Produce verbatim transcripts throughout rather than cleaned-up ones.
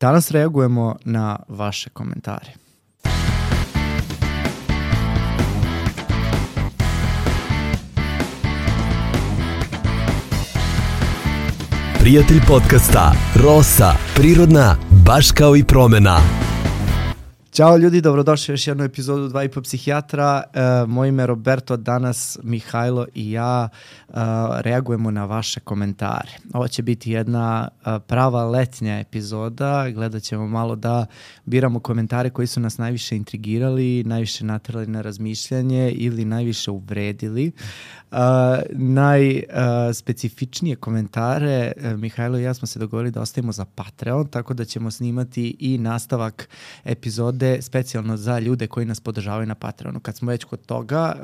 Danas reagujemo na vaše komentare. Prijatelj podcasta Rosa, prirodna, baš kao i promena. Ćao ljudi, dobrodošli u još jednu epizodu Dva i po psihijatra. E, moje ime je Roberto, danas Mihajlo i ja e, reagujemo na vaše komentare. Ovo će biti jedna e, prava letnja epizoda. Gledat ćemo malo da biramo komentare koji su nas najviše intrigirali, najviše naterali na razmišljanje ili najviše uvredili. Uh, najspecifičnije uh, komentare uh, Mihajlo i ja smo se dogovorili da ostavimo za Patreon, tako da ćemo snimati i nastavak epizode specijalno za ljude koji nas podržavaju na Patreonu. Kad smo već kod toga, uh,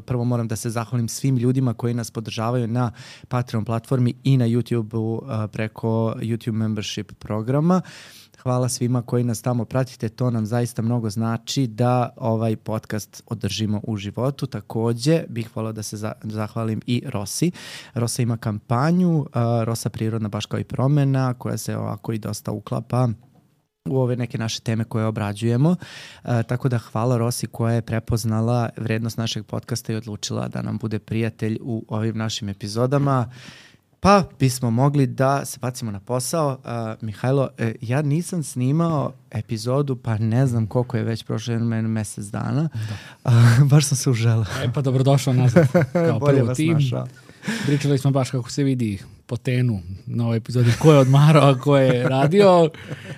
prvo moram da se zahvalim svim ljudima koji nas podržavaju na Patreon platformi i na YouTube-u uh, preko YouTube membership programa. Hvala svima koji nas tamo pratite, to nam zaista mnogo znači da ovaj podcast održimo u životu. Takođe bih volao da se zahvalim i Rosi. Rosa ima kampanju, uh, Rosa prirodna baš kao i promena, koja se ovako i dosta uklapa u ove neke naše teme koje obrađujemo. Uh, tako da hvala Rosi koja je prepoznala vrednost našeg podcasta i odlučila da nam bude prijatelj u ovim našim epizodama. Pa bismo mogli da se bacimo na posao. Uh, Mihajlo, uh, ja nisam snimao epizodu, pa ne znam koliko je već prošlo jedno mesec dana. Uh, baš sam se uželao. E pa dobrodošao nazad. Kao prvo tim. Pričali smo baš kako se vidi po tenu na ovoj epizodi ko je odmarao, a ko je radio,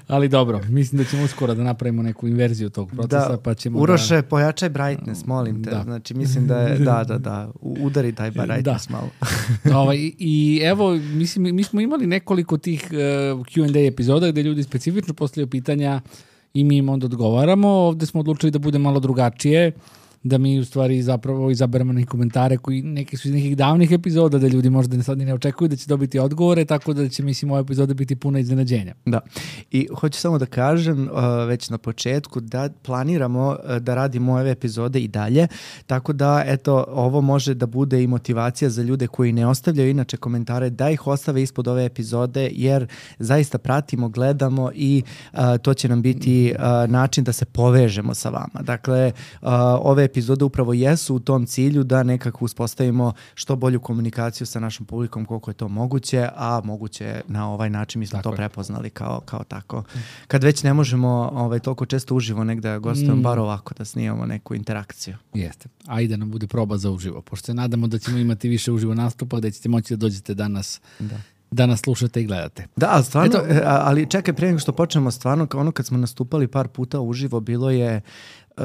ali dobro, mislim da ćemo uskoro da napravimo neku inverziju tog procesa, da, pa ćemo Uroše, da... pojačaj brightness, molim te, da. Znači mislim da je, da, da, da, udari taj brightness da. malo. ovaj, I evo, mislim, mi smo imali nekoliko tih uh, Q and A epizoda gde ljudi specifično postavljaju pitanja i mi im onda odgovaramo. Ovde smo odlučili da bude malo drugačije, da mi u stvari zapravo izaberemo neke komentare koji neki su iz nekih davnih epizoda, da ljudi možda sad ne očekuju da će dobiti odgovore, tako da će, mislim, ova epizoda biti puna iznenađenja. Da. I hoću samo da kažem uh, već na početku da planiramo uh, da radimo ove epizode i dalje, tako da, eto, ovo može da bude i motivacija za ljude koji ne ostavljaju inače komentare, da ih ostave ispod ove epizode, jer zaista pratimo, gledamo i uh, to će nam biti uh, način da se povežemo sa vama. Dakle, uh, ove epizode upravo jesu u tom cilju da nekako uspostavimo što bolju komunikaciju sa našom publikom koliko je to moguće, a moguće na ovaj način mi smo tako to prepoznali kao, kao tako. Kad već ne možemo ovaj, toliko često uživo negde gostujemo, mm. bar ovako da snimamo neku interakciju. Jeste. Ajde nam bude proba za uživo, pošto se nadamo da ćemo imati više uživo nastupa, da ćete moći da dođete danas da. da nas slušate i gledate. Da, stvarno, Eto, ali čekaj, prije nego što počnemo, stvarno, ono kad smo nastupali par puta uživo, bilo je uh,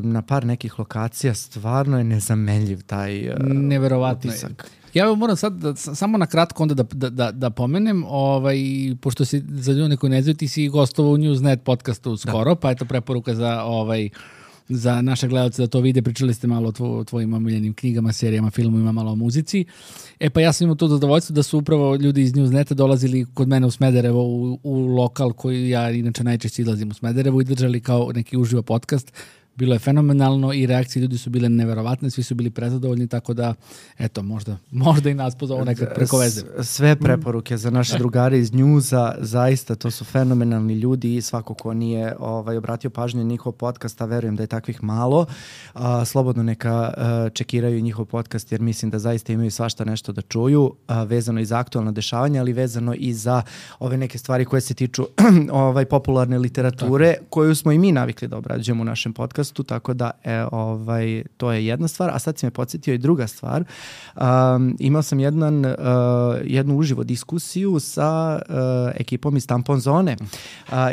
na par nekih lokacija, stvarno je nezamenljiv taj uh, neverovatno utisak. Je. Ja moram sad da, samo na kratko onda da, da, da pomenem, ovaj, pošto si za ljude koji ne znaju, ti si gostovao u Newsnet podcastu skoro, da. Pa eto preporuka za ovaj za naše gledalce da to vide. Pričali ste malo o tvo, tvojim omiljenim knjigama, serijama, filmovima, malo o muzici. E pa ja sam imao to zadovoljstvo da su upravo ljudi iz Newsneta dolazili kod mene u Smederevo u, u lokal koji ja inače najčešće izlazim u Smederevo i držali kao neki uživo podcast. Bilo je fenomenalno i reakcije ljudi su bile neverovatne, svi su bili prezadovoljni, tako da, eto, možda, možda i nas pozove nekad preko veze. Sve preporuke za naše drugare iz Newsa, zaista to su fenomenalni ljudi i svako ko nije ovaj, obratio pažnju njihov podcast, a verujem da je takvih malo, a, slobodno neka a, čekiraju njihov podcast jer mislim da zaista imaju svašta nešto da čuju, a, vezano i za aktualna dešavanja, ali vezano i za ove neke stvari koje se tiču ovaj, popularne literature, tako. Koju smo i mi navikli da obrađujemo u našem podcastu. Tako da e, ovaj, to je jedna stvar, a sad si me podsjetio i druga stvar. Um, imao sam jedan, uh, jednu uživo diskusiju sa uh, ekipom iz Tampon Zone. Uh,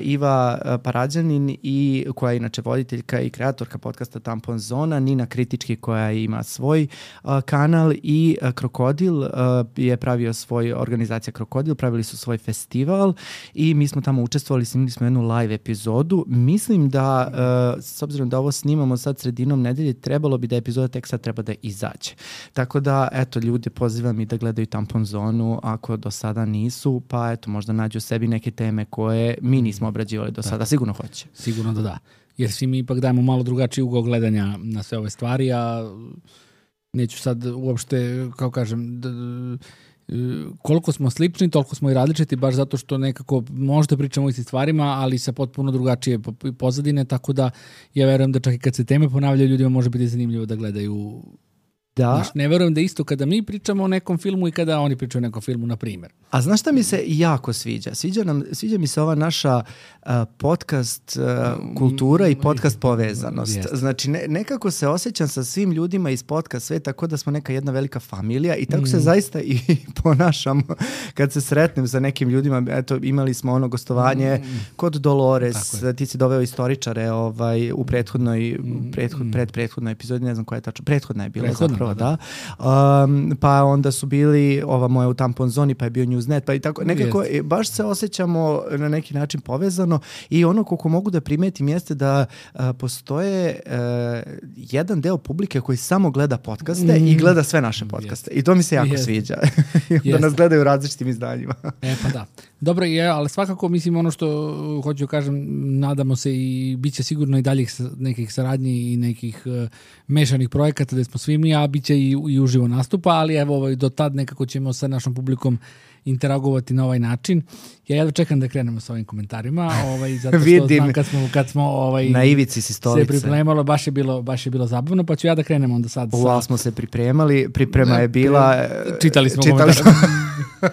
Iva Parađanin, i, koja je inače voditeljka i kreatorka podcasta Tampon Zona, Nina Kritički koja ima svoj uh, kanal i uh, Krokodil uh, je pravio svoj, organizacija Krokodil, pravili su svoj festival i mi smo tamo učestvovali, snimili smo jednu live epizodu. Mislim da, uh, s obzirom da ovo snimamo sad sredinom nedelje, trebalo bi da epizoda tek sad treba da izađe. Tako da, eto, ljude pozivam i da gledaju Tampon Zonu ako do sada nisu, pa eto, možda nađu sebi neke teme koje mi nismo obrađivali do sada. Sigurno hoće. Sigurno da da. Jer svi mi ipak dajemo malo drugačiji ugao gledanja na sve ove stvari, a neću sad uopšte, kao kažem, d- koliko smo slični, toliko smo i različiti, baš zato što nekako možda pričamo o istim stvarima, ali sa potpuno drugačije pozadine, tako da ja verujem da čak i kad se teme ponavljaju, ljudima može biti zanimljivo da gledaju. Da. Znaš, ne verujem da isto kada mi pričamo o nekom filmu i kada oni pričaju o nekom filmu, na primjer. A znaš šta mi se jako sviđa? Sviđa, nam, sviđa mi se ova naša uh, podcast uh, kultura i podcast povezanost. Jest. Znači, ne, nekako se osjećam sa svim ljudima iz podcast sveta tako da smo neka jedna velika familija i tako mm. se zaista i ponašamo kad se sretnem sa nekim ljudima. Eto, imali smo ono gostovanje mm. kod Dolores, ti si doveo istoričare ovaj, u prethodnoj, mm. prethod, pred prethodnoj epizodi, ne znam koja je tačno, prethodna je bila prethodna. Zapravo. Da. Um, pa onda su bili ova moja u tampon zoni, pa je bio Newsnet, pa i tako nekako jest. Baš se osjećamo na neki način povezano i ono koliko mogu da primetim jeste da uh, postoje uh, jedan deo publike koji samo gleda podcaste mm. i gleda sve naše podcaste. Yes. I to mi se jako yes. sviđa. Da nas gledaju u različitim izdanjima. E pa da. Dobro, je, ali svakako mislim ono što hoću kažem, nadamo se i bit će sigurno i daljih nekih saradnji i nekih uh, mešanih projekata da smo svi mi, a bit će i, i uživo nastupa, ali evo ovaj, do tad nekako ćemo sa našom publikom interagovati na ovaj način. Ja jedva čekam da krenemo sa ovim komentarima, ovaj, zato što znam kad smo, kad smo ovaj, na ivici si stolice. Se pripremalo, baš je, bilo, baš je bilo zabavno, pa ću ja da krenemo onda sad. Uvalo smo se pripremali, priprema je bila... Čitali smo čitali komentar.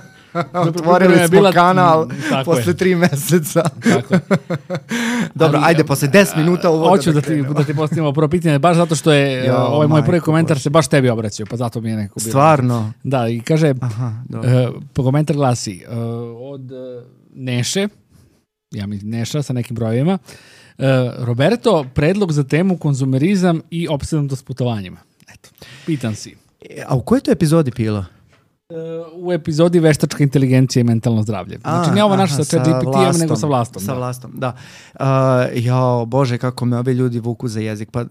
Otvorili smo bila, kanal posle je. tri meseca. Tako je. Dobro, ali, ajde, posle deset minuta uvoda hoću da, da ti, da ti postavimo prvo pitanje, baš zato što je jo, ovaj moj prvi komentar se baš tebi obraćao, pa zato mi je nekako bilo. Stvarno? Da, i kaže, aha, uh, komentar glasi, uh, od uh, Neše, ja mi Neša sa nekim brojevima, uh, Roberto, predlog za temu konzumerizam i opsednutost putovanjima. Eto, pitan si. A u kojoj to epizodi bilo? U epizodi veštačka inteligencija i mentalno zdravlje. Znači, ne ovo naš sa chat G P T-em, nego sa vlastom. Sa vlastom, da. Uh, jao, Bože, kako me ovi ljudi vuku za jezik. Pa, uh,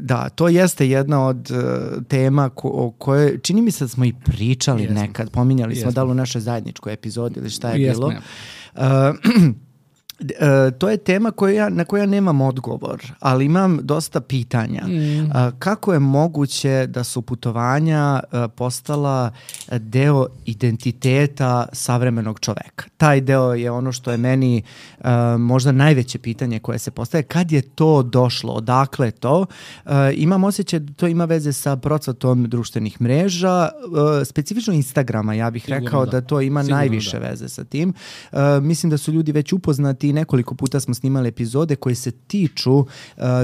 da, to jeste jedna od uh, tema ko, o kojoj, čini mi se da smo i pričali Jesmo. nekad, pominjali Jesmo. smo da li u našoj zajedničkoj epizodi ili šta je Jesmo. bilo. Uh, Uh, to je tema koju ja, na koju ja nemam odgovor, ali imam dosta pitanja. Mm. Uh, kako je moguće da su putovanja uh, postala deo identiteta savremenog čoveka? Taj deo je ono što je meni uh, možda najveće pitanje koje se postaje. Kad je to došlo? Odakle je to? Uh, imam osjećaj da to ima veze sa procvatom društvenih mreža, uh, specifično Instagrama. Ja bih Sigurno rekao da. da to ima Sigurno najviše da. veze sa tim. Uh, mislim da su ljudi već upoznati i nekoliko puta smo snimali epizode koje se tiču uh,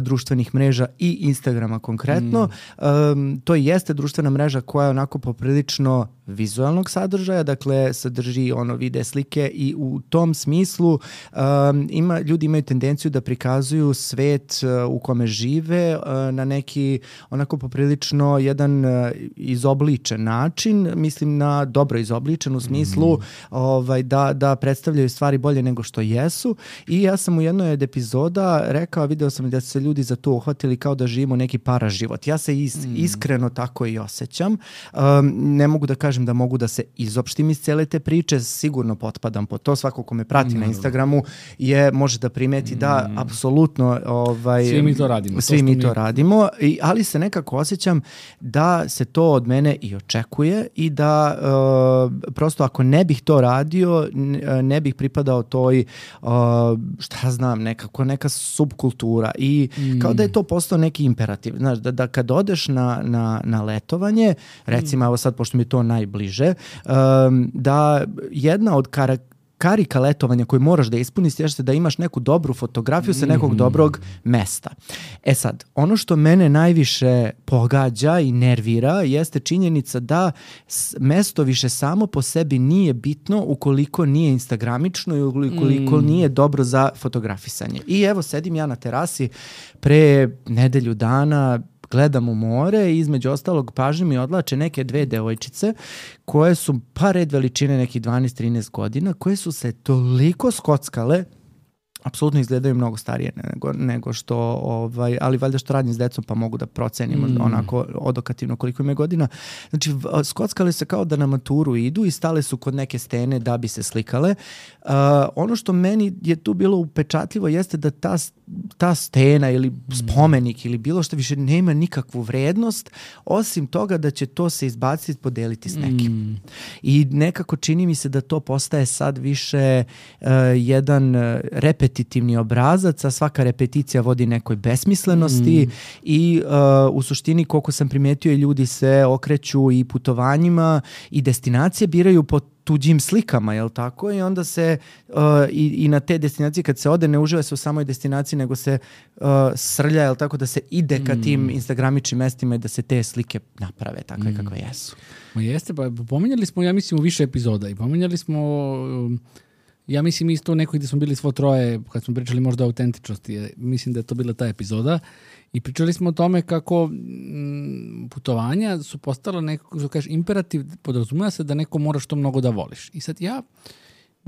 društvenih mreža i Instagrama konkretno. Mm. Um, to jeste društvena mreža koja je onako poprilično vizualnog sadržaja, dakle sadrži ono vide, slike i u tom smislu um, ima, ljudi imaju tendenciju da prikazuju svet uh, u kome žive uh, na neki onako poprilično jedan uh, izobličen način, mislim na dobro izobličen u smislu mm. ovaj, da, da predstavljaju stvari bolje nego što jesu i ja sam u jednoj od epizoda rekao, video sam da se ljudi za to uhvatili kao da živimo neki paraživot. Ja se is, mm. iskreno tako i osjećam. Um, ne mogu da kažem da mogu da se izopštim iz cele te priče, sigurno potpadam po to, svako ko me prati mm. na Instagramu je, može da primeti mm. da apsolutno ovaj, svi mi to radimo. Svi to mi mi... to radimo, I, ali se nekako osjećam da se to od mene i očekuje i da uh, prosto ako ne bih to radio, ne bih pripadao toj uh, šta znam, nekako neka subkultura i mm. kao da je to postao neki imperativ. Znaš, da, da kad odeš na, na, na letovanje, recimo, mm. evo sad, pošto mi je to najbliže, um, da jedna od karakteristika karika letovanja koju moraš da ispuniš jeste da imaš neku dobru fotografiju sa nekog mm. dobrog mesta. E sad, ono što mene najviše pogađa i nervira jeste činjenica da mesto više samo po sebi nije bitno ukoliko nije instagramično i ukoliko mm. nije dobro za fotografisanje. I evo, sedim ja na terasi pre nedelju dana, gledam u more i između ostalog pažnje mi odlače neke dve devojčice koje su pa red veličine nekih dvanaest trinaest godina, koje su se toliko skockale apsolutno izgledaju mnogo starije nego, nego što, ovaj, ali valjda što radim s decom pa mogu da procenim mm. onako odokativno koliko im je godina. Znači, skockale se kao da na maturu idu i stale su kod neke stene da bi se slikale. Uh, ono što meni je tu bilo upečatljivo jeste da ta, ta stena ili spomenik ili bilo što više nema nikakvu vrednost, osim toga da će to se izbaciti, podeliti s nekim. Mm. I nekako čini mi se da to postaje sad više uh, jedan repetitivni obrazac, a svaka repeticija vodi nekoj besmislenosti mm. i uh, u suštini koliko sam primijetio i ljudi se okreću i putovanjima i destinacije biraju po tuđim slikama, jel tako? I onda se uh, i, i na te destinacije kad se ode ne uživa se u samoj destinaciji, nego se uh, srlja, jel tako, da se ide ka tim mm. instagramičnim mestima i da se te slike naprave takve mm. kakve jesu. Ma jeste, pa pominjali smo, ja mislim, u više epizoda i pominjali smo um, ja mislim isto neko gdje smo bili svo troje kad smo pričali možda o autentičnosti. Mislim da je to bila ta epizoda i pričali smo o tome kako m, putovanja su postala nekako, što kažeš, imperativ, podrazumeva se da neko mora što mnogo da voliš. I sad ja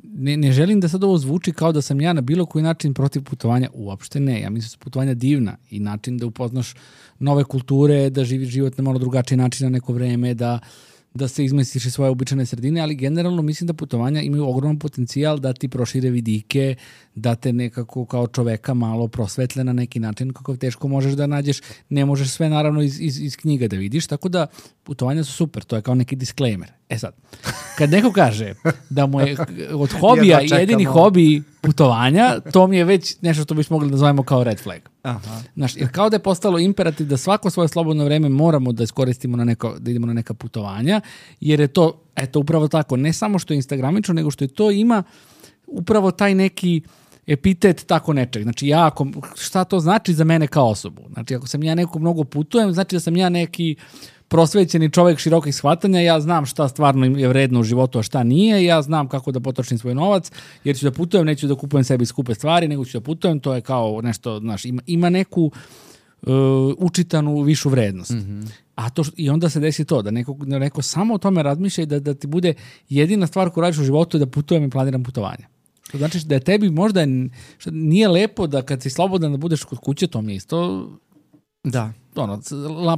ne, ne želim da sad ovo zvuči kao da sam ja na bilo koji način protiv putovanja. Uopšte ne. Ja mislim da su putovanja divna i način da upoznaš nove kulture, da živiš život na malo drugačiji način na neko vreme, da da se izmestiš iz svoje običajne sredine, ali generalno mislim da putovanja imaju ogroman potencijal da ti prošire vidike, da te nekako kao čoveka malo prosvetle na neki način, kako teško možeš da nađeš, ne možeš sve naravno iz, iz, iz knjiga da vidiš, tako da putovanja su super, to je kao neki disclaimer. E sad, kad neko kaže da mu je od hobija jedini hobi putovanja, to mi je već nešto što bismo mogli da nazovemo kao red flag. Aha. Znaš, jer kao da je postalo imperativ da svako svoje slobodno vreme moramo da iskoristimo na neko, da idemo na neka putovanja, jer je to, eto, upravo tako, ne samo što je instagramično, nego što je to ima upravo taj neki epitet tako nečeg. Znači, ja, ako, šta to znači za mene kao osobu? Znači, ako sam ja neko mnogo putujem, znači da sam ja neki prosvećeni čovjek širokih shvatanja, ja znam šta stvarno je vredno u životu, a šta nije, ja znam kako da potrošim svoj novac, jer ću da putujem, neću da kupujem sebi skupe stvari, nego ću da putujem, to je kao nešto, znaš, ima, ima neku uh, učitanu višu vrednost. Mm-hmm. A to, i onda se desi to, da neko, da neko samo o tome razmišlja i da, da ti bude jedina stvar koju radiš u životu je da putujem i planiram putovanja. Što znači da je tebi možda nije lepo da kad si slobodan da budeš kod kuće, to mi je isto... Da. Ono,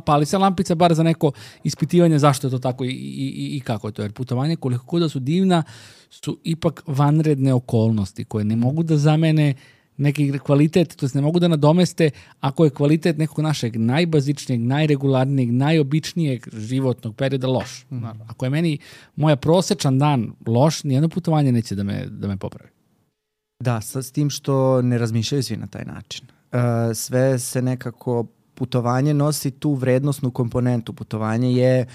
pali se lampica bar za neko ispitivanje zašto je to tako i, i, i kako je to. Jer putovanje, koliko god da su divna, su ipak vanredne okolnosti koje ne mogu da zamene neki kvalitet, to ne mogu da nadomeste ako je kvalitet nekog našeg najbazičnijeg, najregularnijeg, najobičnijeg životnog perioda loš. Mm. Ako je meni moja prosečan dan loš, nijedno putovanje neće da me, da me popravi. Da, s tim što ne razmišljaju svi na taj način. Uh, sve se nekako putovanje nosi tu vrednosnu komponentu. Putovanje je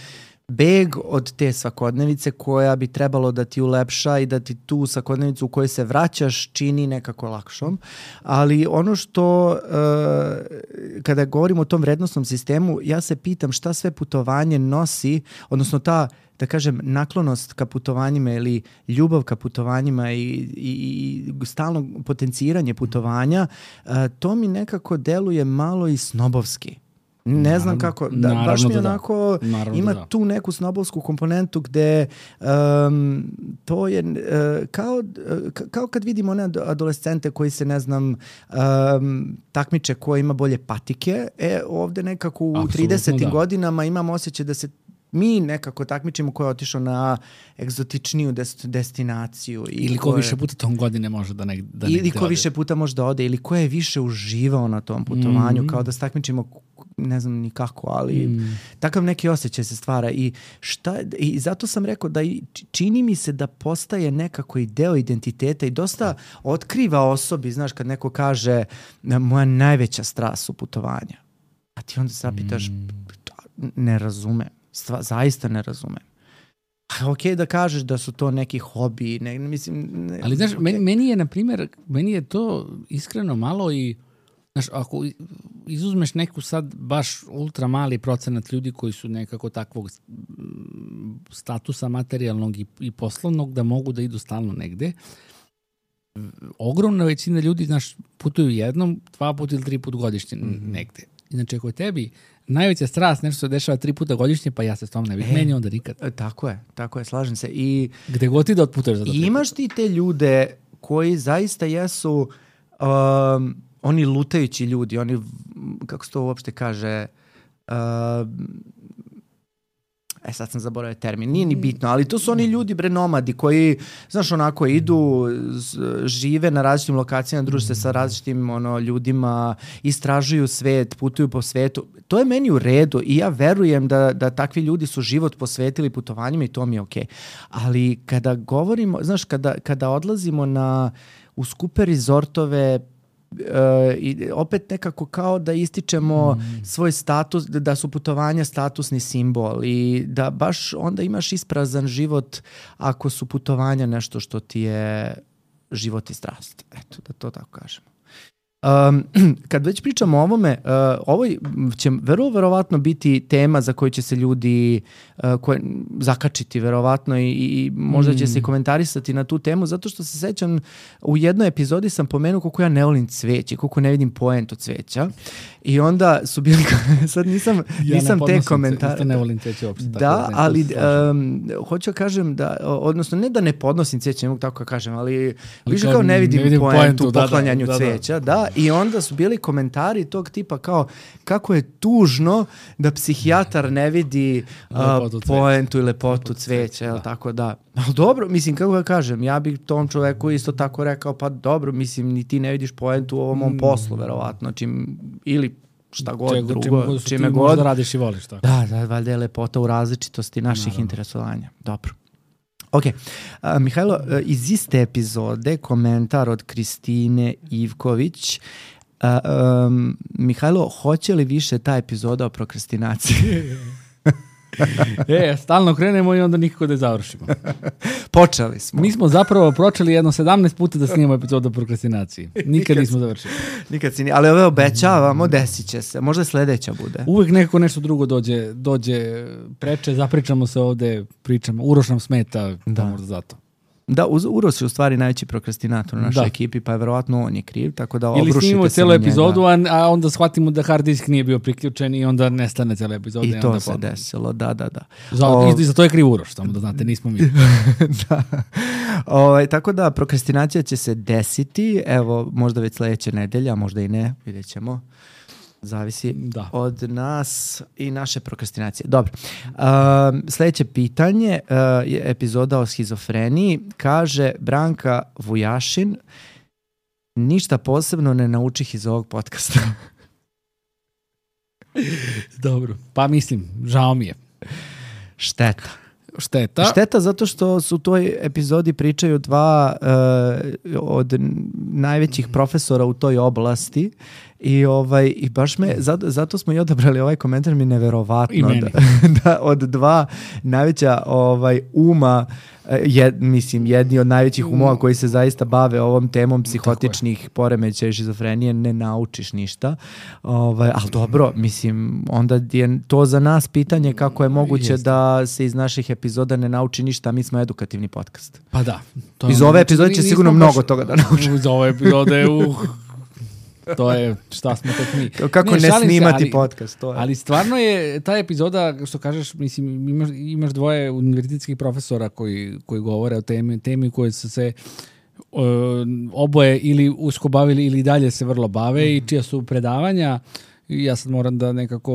beg od te svakodnevice koja bi trebalo da ti ulepša i da ti tu svakodnevicu u kojoj se vraćaš čini nekako lakšom. Ali ono što, uh, kada govorimo o tom vrednosnom sistemu, ja se pitam šta sve putovanje nosi, odnosno ta, da kažem, naklonost ka putovanjima ili ljubav ka putovanjima i, i, i stalno potenciranje putovanja, uh, to mi nekako deluje malo i snobovski. Ne naravno, znam kako, da, baš mi onako da. ima da. tu neku snobovsku komponentu gde um, to je uh, kao, uh, kao kad vidimo one adolescente koji se, ne znam, um, takmiče ko ima bolje patike, e, ovde nekako u Absolutno, tridesetim da. godinama imam osjećaj da se mi nekako takmičimo ko je otišao na egzotičniju des, destinaciju. Ili ko, ko je, više puta tom godine može da ne da Ili ko ode. više puta može da ode, ili ko je više uživao na tom putovanju, mm. kao da se takmičimo, ne znam ni kako, ali mm. takav neki osjećaj se stvara. I, šta, I zato sam rekao da i čini mi se da postaje nekako i deo identiteta i dosta otkriva osobi, znaš, kad neko kaže moja najveća strast su putovanja. A ti onda se zapitaš, mm. ne razumem. Stva, zaista ne razumem. Ok da kažeš da su to neki hobi, ne, mislim... Ne, ali znaš, okay. meni, meni je, na primjer, meni je to iskreno malo i, znaš, ako izuzmeš neku sad baš ultra mali procenat ljudi koji su nekako takvog statusa materijalnog i, i poslovnog da mogu da idu stalno negde, ogromna većina ljudi, znaš, putuju jednom, dva puta ili tri put godišnje mm-hmm. negde. Znači, ako je tebi najveća strast nešto se dešava tri puta godišnje, pa ja se s tom ne bih e, menio onda nikad. Tako je, tako je, slažem se. I gde god ti da otputuješ za to. I imaš ti te ljude koji zaista jesu um, oni lutajući ljudi, oni, kako se to uopšte kaže, uh, e sad sam zaboravio termin, nije ni bitno, ali to su oni ljudi, bre, nomadi koji, znaš, onako idu, žive na različitim lokacijama, druže se sa različitim ono, ljudima, istražuju svet, putuju po svetu. To je meni u redu i ja verujem da, da takvi ljudi su život posvetili putovanjima i to mi je okej. Ali kada govorimo, znaš, kada, kada odlazimo na, u skupe rezortove, Uh, i opet nekako kao da ističemo mm. svoj status, da su putovanja statusni simbol i da baš onda imaš isprazan život ako su putovanja nešto što ti je život i strast. Eto, da to tako kažemo. Um, kad već pričamo o ovome, uh, ovo će vrlo verovatno biti tema za koju će se ljudi uh, koje, zakačiti verovatno i, i možda će mm. se komentarisati na tu temu, zato što se sećam u jednoj epizodi sam pomenuo koliko ja ne volim cveće, koliko ne vidim poentu cveća i onda su bili, sad nisam, ja nisam ne te komentare. Isto ne volim cveće uopšte. Da, tako da ali um, hoću da kažem da, odnosno ne da ne podnosim cveće, ne mogu tako da kažem, ali, ali više kao ne vidim, ne vidim poentu u poklanjanju da, da, cveća, da, da. I onda su bili komentari tog tipa kao kako je tužno da psihijatar ne vidi uh, poentu i lepotu cveća, jel, tako da. Ali dobro, mislim, kako ga kažem, ja bih tom čoveku isto tako rekao, pa dobro, mislim, ni ti ne vidiš poentu u ovom mom poslu, verovatno, čim, ili šta god Čeg, drugo, čime, čime god. Možda radiš i voliš, tako. Da, da, valjda je lepota u različitosti naših Naravno. interesovanja. Dobro. Ok, uh, Mihajlo, uh, iz iste epizode komentar od Kristine Ivković. Uh, um, Mihajlo, hoće li više ta epizoda o prokrastinaciji? e, stalno krenemo i onda nikako da je završimo. Počeli smo. Mi smo zapravo pročeli jedno sedamnaest puta da snimamo epizodu o prokrastinaciji. Nikad nismo završili. Nikad si ni, ali ove obećavamo, desit će se. Možda sledeća bude. Uvijek nekako nešto drugo dođe, dođe preče, zapričamo se ovde, pričamo. Uroš nam smeta, da možda zato. Da, Uroš je u stvari najveći prokrastinator u našoj da. ekipi, pa je verovatno on je kriv, tako da obrušite se. Ili snimimo cijelu epizodu, a, a onda shvatimo da hard disk nije bio priključen i onda nestane cijela epizoda. I, I to onda se ponovno. desilo, da, da, da. Za, o... I za to je kriv Uroš, samo da znate, nismo mi. da. O, tako da, prokrastinacija će se desiti, evo, možda već sledeće nedelje, a možda i ne, vidjet ćemo. Zavisi da. od nas i naše prokrastinacije. Dobro. Uh, sljedeće pitanje uh, je epizoda o schizofreniji. Kaže Branka Vujašin, ništa posebno ne naučih iz ovog podcasta. Dobro. Pa mislim, žao mi je. Šteta. Šteta. Šteta zato što su u toj epizodi pričaju dva uh, od najvećih profesora u toj oblasti i ovaj i baš me zato, zato smo i odabrali ovaj komentar, mi neverovatno da, da od dva najveća ovaj uma jed, mislim jedni od najvećih umova koji se zaista bave ovom temom psihotičnih poremećaja i šizofrenije ne naučiš ništa. Ovaj al dobro, mislim onda je to za nas pitanje kako je moguće Jeste. da se iz naših epizoda ne nauči ništa, mi smo edukativni podcast. Pa da. To iz ove epizode će sigurno mnogo baš, toga da nauči. Iz ove epizode uh. To je šta smo tek mi. Kako ne, ne snimati se, ali, podcast. To je. Ali stvarno je ta epizoda, što kažeš, mislim, imaš, imaš dvoje univerzitetskih profesora koji, koji govore o temi, temi koje su se uh, oboje ili usko bavili ili dalje se vrlo bave mm. i čija su predavanja. Ja sad moram da nekako,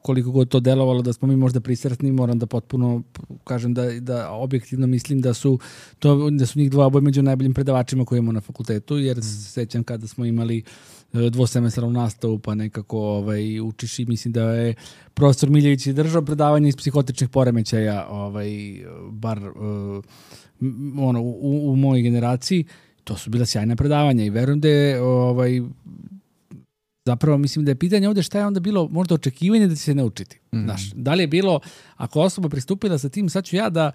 koliko god to delovalo da smo mi možda prisretni, moram da potpuno kažem da, da objektivno mislim da su, to, da su njih dva oboje među najboljim predavačima koje imamo na fakultetu, jer mm. se sećam kada smo imali dvosemestralnu nastavu pa nekako ovaj, učiš i mislim da je profesor Miljević držao predavanje iz psihotičnih poremećaja, ovaj, bar uh, ono, u, u mojoj generaciji. To su bila sjajna predavanja i verujem da je ovaj, zapravo mislim da je pitanje ovdje šta je onda bilo možda očekivanje da će se naučiti. Mm. Znaš, da li je bilo, ako osoba pristupila sa tim, sad ću ja da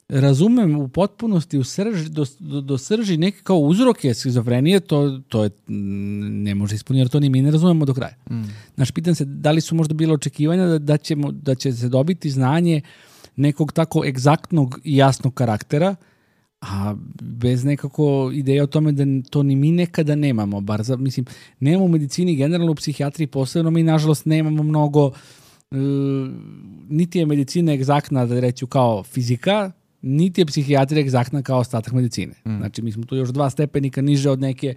razumem u potpunosti u srž, do, do, do srži neke kao uzroke schizofrenije, to, to je, ne može ispuniti, jer to ni mi ne razumemo do kraja. Mm. Znaš, pitam se da li su možda bilo očekivanja da, da, ćemo, da će se dobiti znanje nekog tako egzaktnog i jasnog karaktera, a bez nekako ideje o tome da to ni mi nekada nemamo, bar za, mislim, nemamo u medicini, generalno u psihijatriji posebno, mi nažalost nemamo mnogo, uh, niti je medicina egzaktna, da reću kao fizika, niti je psihijatrija egzaktna kao ostatak medicine. Mm. Znači, mi smo tu još dva stepenika niže od neke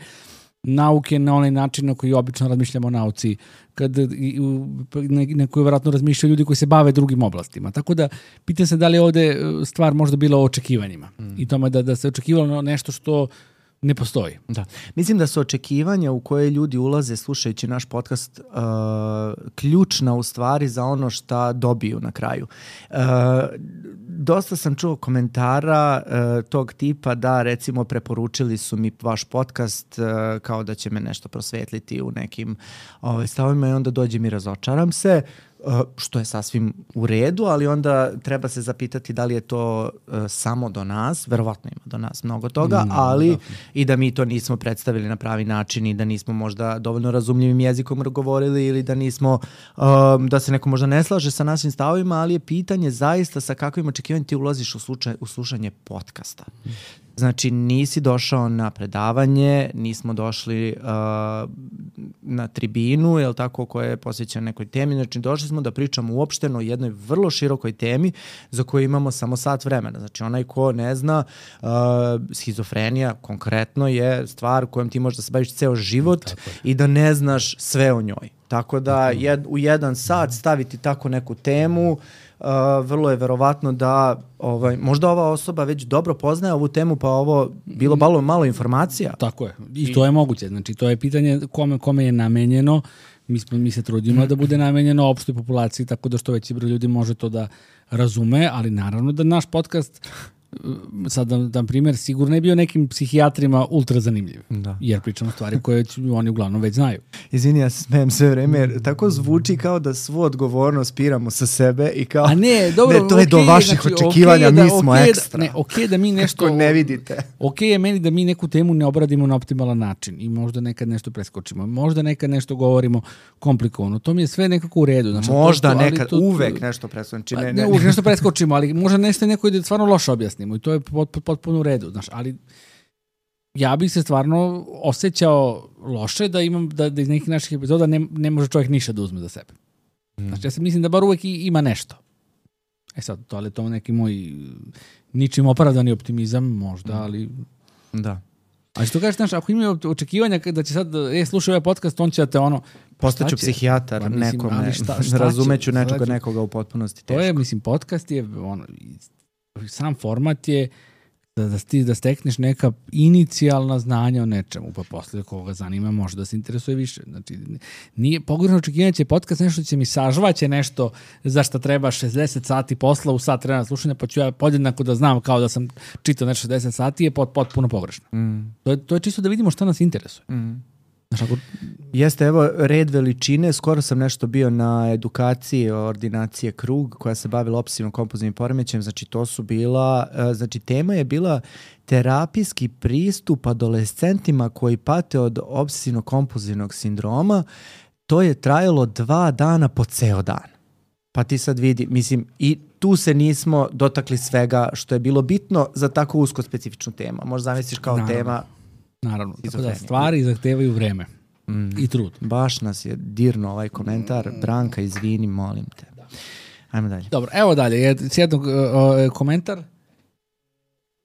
nauke na onaj način na koji obično razmišljamo o nauci, kad na koju vjerojatno razmišljaju ljudi koji se bave drugim oblastima. Tako da, pitam se da li je ovde stvar možda bila o očekivanjima mm. i tome da, da se očekivalo nešto što ne postoji. Da. Mislim da su očekivanja u koje ljudi ulaze slušajući naš podcast uh, ključna u stvari za ono šta dobiju na kraju. Uh, dosta sam čuo komentara uh, tog tipa da recimo preporučili su mi vaš podcast uh, kao da će me nešto prosvetliti u nekim ovaj, stavovima i onda dođem i razočaram se. Uh, što je sasvim u redu, ali onda treba se zapitati da li je to uh, samo do nas, verovatno ima do nas mnogo toga, mm, ali da. I da mi to nismo predstavili na pravi način i da nismo možda dovoljno razumljivim jezikom govorili ili da nismo, um, da se neko možda ne slaže sa našim stavovima, ali je pitanje zaista sa kakvim očekivanjem ti ulaziš u, slučaj, u slušanje podcasta. Mm. Znači, nisi došao na predavanje, nismo došli uh, na tribinu, jel tako, koja je posvećena nekoj temi. Znači, došli smo da pričamo uopšteno o jednoj vrlo širokoj temi za koju imamo samo sat vremena. Znači, onaj ko ne zna, uh, schizofrenija konkretno je stvar kojom ti možeš da se baviš ceo život i da ne znaš sve o njoj. Tako da jed, u jedan sat staviti tako neku temu, Uh, vrlo je verovatno da ovaj, možda ova osoba već dobro poznaje ovu temu, pa ovo bilo malo, malo informacija. Tako je. I to je moguće. Znači, to je pitanje kome, kome je namenjeno. Mi, smo, mi se trudimo da bude namenjeno opštoj populaciji, tako da što veći broj ljudi može to da razume, ali naravno da naš podcast sad da dam primjer, sigurno je bio nekim psihijatrima ultra zanimljiv. Da. Jer pričamo stvari koje oni uglavnom već znaju. Izvini, ja se smijem sve vreme, jer tako zvuči kao da svu odgovornost piramo sa sebe i kao, a ne, dobro, ne, to je okay, do vaših znači, očekivanja, okay, mi smo okay, ekstra. Ne, okej okay, da mi nešto... ne vidite. Okej okay je meni da mi neku temu ne obradimo na optimalan način i možda nekad nešto preskočimo, možda nekad nešto govorimo komplikovano. To mi je sve nekako u redu. Znači, možda to, nekad, to, uvek nešto preskočimo. Ne, ne, ne, uvek nešto preskočimo, ali možda nešto neko ide stvarno loše objasnimo i to je pot, potpuno u redu. Znaš, ali ja bih se stvarno osjećao loše da imam da, da iz nekih naših epizoda ne, ne može čovjek ništa da uzme za sebe. Mm. Znači, ja se mislim da bar uvek ima nešto. E sad, to je to neki moj ničim opravdani optimizam, možda, ali... Da. A što kažeš, znaš, ako imaju očekivanja da će sad, e, slušaj ovaj podcast, on će da te ono... Postaću psihijatar pa, mislim, nekome, šta, šta razumeću nekoga, nekoga u potpunosti teško. To je, mislim, podcast je, ono, sam format je da, da, sti, da stekneš neka inicijalna znanja o nečemu, pa posle koga zanima može da se interesuje više. Znači, nije, pogrešno očekivanje će podcast nešto će mi sažvaće nešto za šta treba šezdeset sati posla u sat vremena slušanja, pa ću ja podjednako da znam kao da sam čitao nešto šezdeset sati, je pot, potpuno pogrešno. Mm. To, je, to je čisto da vidimo šta nas interesuje. Mm. Znaš, ako... Jeste, evo, red veličine. Skoro sam nešto bio na edukaciji ordinacije Krug koja se bavila obsesivno kompulzivnim poremećajem. Znači, to su bila, znači, tema je bila terapijski pristup adolescentima koji pate od obsesivno kompulzivnog sindroma. To je trajalo dva dana po ceo dan. Pa ti sad vidi, mislim, i tu se nismo dotakli svega što je bilo bitno za tako usko specifičnu temu. Možda zamisliš kao Naravno. tema... Naravno, tako da stvari zahtevaju vreme mm. i trud. Baš nas je dirno ovaj komentar. Branka, izvini, molim te. Da. Ajmo dalje. Dobro, evo dalje. Sjednog uh, komentar.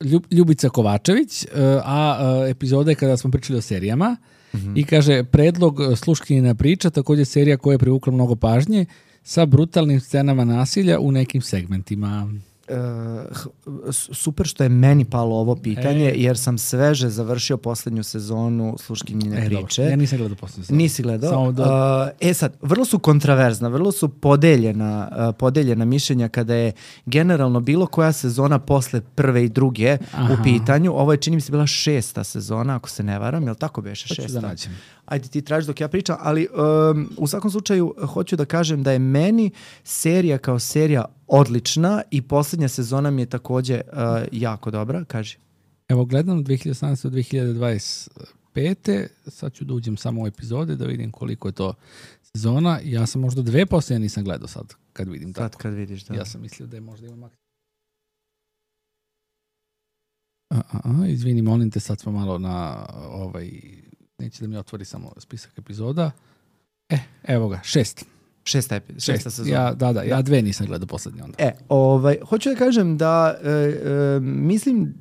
Ljub, Ljubica Kovačević, uh, a uh, epizoda je kada smo pričali o serijama mm-hmm. i kaže, predlog Sluškinjina priča, također serija koja je privukla mnogo pažnje sa brutalnim scenama nasilja u nekim segmentima. Uh, super što je meni palo ovo pitanje, e. jer sam sveže završio poslednju sezonu Sluškinjine e, priče. Dobro. Ja nisam gledao poslednju sezonu. Nisi gledao? Do... Uh, e sad, vrlo su kontraverzna, vrlo su podeljena, uh, podeljena mišljenja kada je generalno bilo koja sezona posle prve i druge Aha. u pitanju. Ovo je, čini mi se, bila šesta sezona, ako se ne varam, jel tako beše šesta? Da Ajde, ti tražiš dok ja pričam, ali um, u svakom slučaju hoću da kažem da je meni serija kao serija odlična i posljednja sezona mi je također uh, jako dobra. Kaži. Evo, gledam dve hiljade osamnaeste do dve hiljade dvadeset pete Sad ću da uđem samo u epizode da vidim koliko je to sezona. Ja sam možda dve posljednje nisam gledao sad kad vidim sad tako. Kad vidiš, da. Ja sam mislio da je možda ima maksimum. A, a, a, izvini, molim te, sad smo malo na ovaj... Neće da mi otvori samo spisak epizoda. E, evo ga, šest. Šesta, epi, šesta Šest. sezona. Ja, da, da, ja dve nisam gledao poslednje onda. E, ovaj, hoću da kažem da e, e, mislim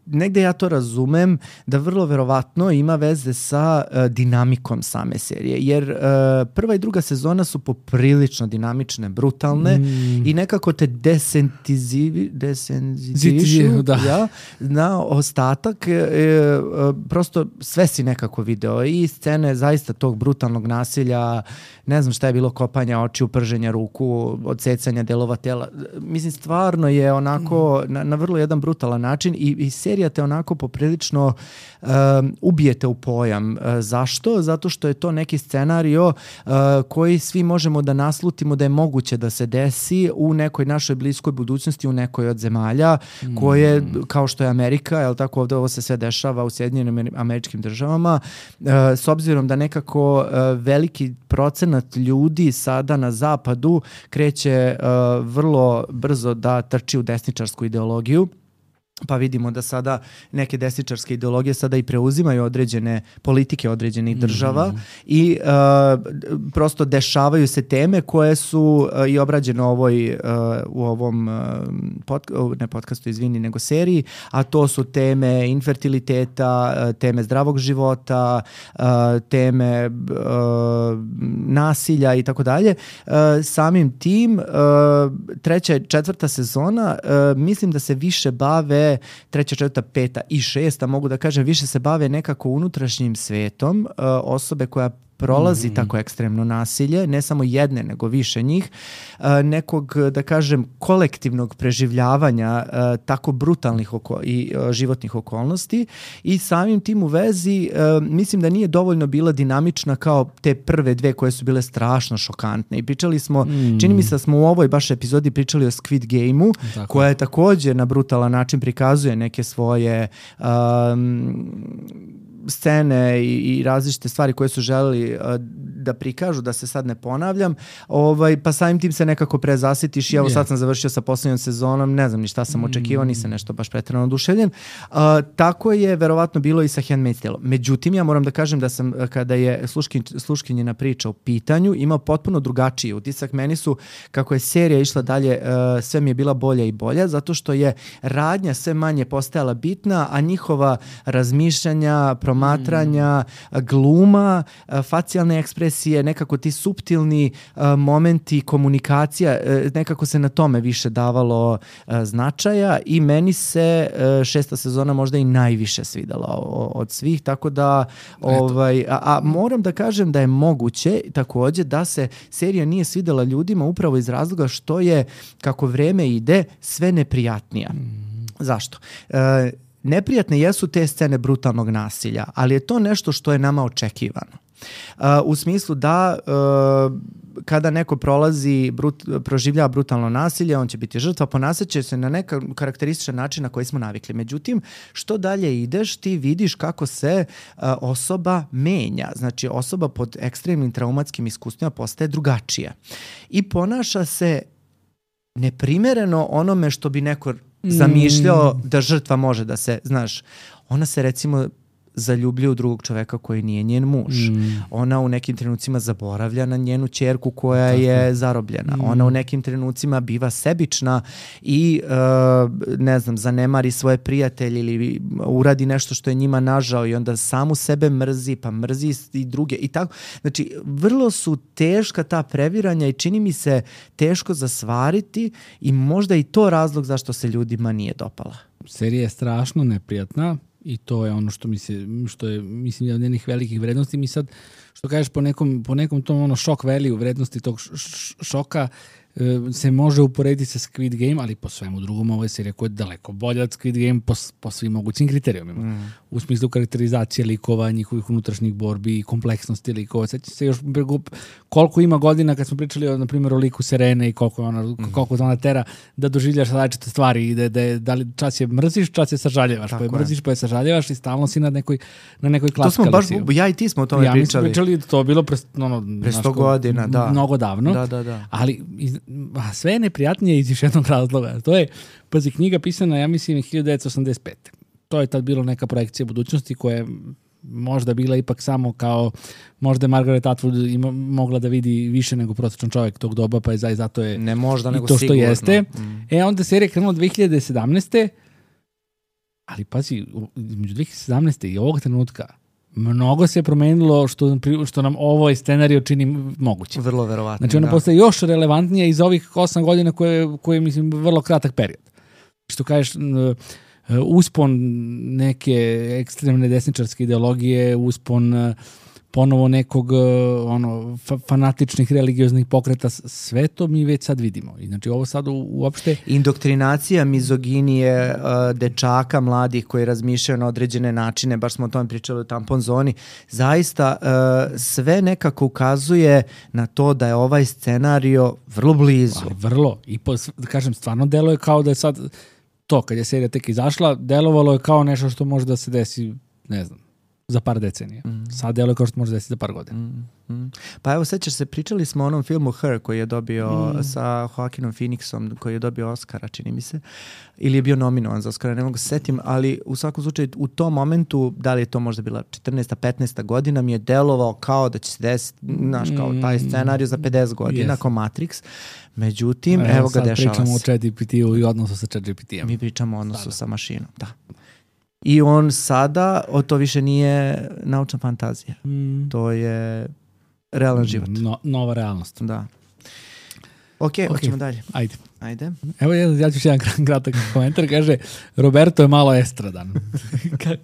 negde ja to razumem da vrlo verovatno ima veze sa uh, dinamikom same serije, jer uh, prva i druga sezona su poprilično dinamične, brutalne mm. i nekako te desentizivi, desenzitivišu da. ja, na ostatak. E, e, prosto sve si nekako video i scene zaista tog brutalnog nasilja, ne znam šta je bilo, kopanja očiju, prženja ruku, odsecanja delova tela. Mislim, stvarno je onako mm. na, na vrlo jedan brutalan način i, i serija te onako poprilično um, ubijete u pojam. Uh, zašto? Zato što je to neki scenario uh, koji svi možemo da naslutimo da je moguće da se desi u nekoj našoj bliskoj budućnosti, u nekoj od zemalja mm. koje, kao što je Amerika, jel tako, ovde ovo se sve dešava u Sjedinjenim Američkim Državama, uh, s obzirom da nekako uh, veliki procenat ljudi sada na zapadu kreće uh, vrlo brzo da trči u desničarsku ideologiju. Pa vidimo da sada neke desničarske ideologije sada i preuzimaju određene politike određenih država mm. i uh, prosto dešavaju se teme koje su uh, i obrađene ovoj, uh, u ovom uh, pod, ne podcastu, izvini, nego seriji, a to su teme infertiliteta, uh, teme zdravog života, uh, teme uh, nasilja i tako dalje. Uh, samim tim uh, treća i četvrta sezona uh, mislim da se više bave treća, četvrta, peta i šesta, mogu da kažem, više se bave nekako unutrašnjim svetom uh, osobe koja prolazi mm. tako ekstremno nasilje, ne samo jedne, nego više njih, uh, nekog, da kažem, kolektivnog preživljavanja uh, tako brutalnih oko i uh, životnih okolnosti i samim tim u vezi uh, mislim da nije dovoljno bila dinamična kao te prve dve koje su bile strašno šokantne i pričali smo, mm. čini mi se da smo u ovoj baš epizodi pričali o Squid Game-u, tako, koja je također na brutalan način prikazuje neke svoje um, scene i, i različite stvari koje su želeli uh, da prikažu, da se sad ne ponavljam, ovaj, pa samim tim se nekako prezasitiš i evo yeah. sad sam završio sa poslednjom sezonom, ne znam ni šta sam očekivao, nisam nešto baš preterano oduševljen. Uh, tako je verovatno bilo i sa Handmaid's Tale. Međutim, ja moram da kažem da sam, kada je sluškin, sluškinjina priča u pitanju, imao potpuno drugačiji utisak. Meni su, kako je serija išla dalje, uh, sve mi je bila bolja i bolja, zato što je radnja sve manje postajala bitna, a njihova razmišljanja, promatranja, gluma, facijalne ekspresije, nekako ti suptilni uh, momenti, komunikacija, uh, nekako se na tome više davalo uh, značaja i meni se uh, šesta sezona možda i najviše svidala o, od svih, tako da ovaj, a, a moram da kažem da je moguće takođe da se serija nije svidela ljudima upravo iz razloga što je, kako vreme ide, sve neprijatnija. Mm. Zašto? Uh, Neprijatne jesu te scene brutalnog nasilja, ali je to nešto što je nama očekivano. Uh, u smislu da uh, kada neko prolazi, brut, proživljava brutalno nasilje, on će biti žrtva, ponašaće se na neka karakterističan način na koji smo navikli. Međutim, što dalje ideš, ti vidiš kako se uh, osoba menja. Znači, osoba pod ekstremnim traumatskim iskustvima postaje drugačija. I ponaša se neprimereno onome što bi neko zamišljao mm. da žrtva može da se, znaš, ona se recimo zaljubljuje u drugog čoveka koji nije njen muž. Mm. Ona u nekim trenucima zaboravlja na njenu ćerku koja Tako. je zarobljena. Mm. Ona u nekim trenucima biva sebična i uh, ne znam, zanemari svoje prijatelje ili uradi nešto što je njima nažao i onda samu sebe mrzi, pa mrzi i druge i tako. Znači, vrlo su teška ta previranja i čini mi se teško zasvariti i možda i to razlog zašto se ljudima nije dopala. Serija je strašno neprijatna. I to je ono što mi se, što je, mislim, jedan od njenih velikih vrednosti. Mi sad, što kažeš, po nekom, po nekom tom ono šok value vrednosti tog šoka se može uporediti sa Squid Game, ali po svemu drugom ovo je serija koja je daleko bolja od Squid Game po, po svim mogućim kriterijumima. Mm. U smislu karakterizacije likova, njihovih unutrašnjih borbi i kompleksnosti likova. Sećam se još koliko ima godina kad smo pričali o, na primjer, o liku Serene i koliko ona, mm. koliko ona tera da doživljaš različite stvari i da, da, da li čas je mrziš, čas je sažaljevaš. Tako pa je mrziš, pa je sažaljevaš i stalno si na nekoj, na nekoj klaskali. To smo baš, ja i ti smo o tome ja, pričali. Ja mi smo pričali, to je bilo pre, ono, pre sto godina, da. Mnogo davno. Da, da, da. Ali a sve je neprijatnije iz još jednog razloga. To je, pazi, knjiga pisana, ja mislim, hiljadu devetsto osamdeset pete. To je tad bilo neka projekcija budućnosti koja je možda bila ipak samo kao, možda je Margaret Atwood ima, mogla da vidi više nego prosječan čovjek tog doba, pa je zaista zato je ne možda, i nego to što sigurno. jeste. Mm. E, onda serija krenula dve hiljade sedamnaeste. Ali pazi, među dve hiljade sedamnaeste i ovog trenutka mnogo se je promenilo što, što nam ovo scenario čini moguće. Vrlo verovatno. Znači ona da. postaje još relevantnija iz ovih osam godina koje, koje mislim, vrlo kratak period. Što kažeš, uspon neke ekstremne desničarske ideologije, uspon ponovo nekog ono, fanatičnih religioznih pokreta, sve to mi već sad vidimo. I znači ovo sad u, uopšte... Indoktrinacija mizoginije uh, dečaka mladih koji razmišljaju na određene načine, baš smo o tome pričali u Tampon zoni, zaista uh, sve nekako ukazuje na to da je ovaj scenario vrlo blizu. Ali vrlo. I po, da kažem, stvarno deluje kao da je sad to, kad je serija tek izašla, delovalo je kao nešto što može da se desi, ne znam, za par decenija. Mm. Sad deluje kao što može desiti za par godina. Mm. Mm. Pa evo, sećaš se, pričali smo o onom filmu Her koji je dobio mm. sa Joaquinom Phoenixom, koji je dobio Oscara, čini mi se. Ili je bio nominovan za Oscara, ne mogu se setim, ali u svakom slučaju u tom momentu, da li je to možda bila četrnaesta petnaesta godina, mi je delovao kao da će se desiti, znaš, kao taj scenarij za pedeset godina, yes. kao Matrix. Međutim, evo, evo ga, dešava se. Sad pričamo o ChatGPT-u i odnosu sa ChatGPT-om. Mi pričamo o odnosu Sada. sa mašinom, da. I on sada, o to više nije naučna fantazija. Mm. To je realan život. No, nova realnost. Da. Ok, okay. Hoćemo dalje. Ajde. Ajde. Evo ja, ja ću jedan kratak komentar. Kaže, Roberto je malo estradan.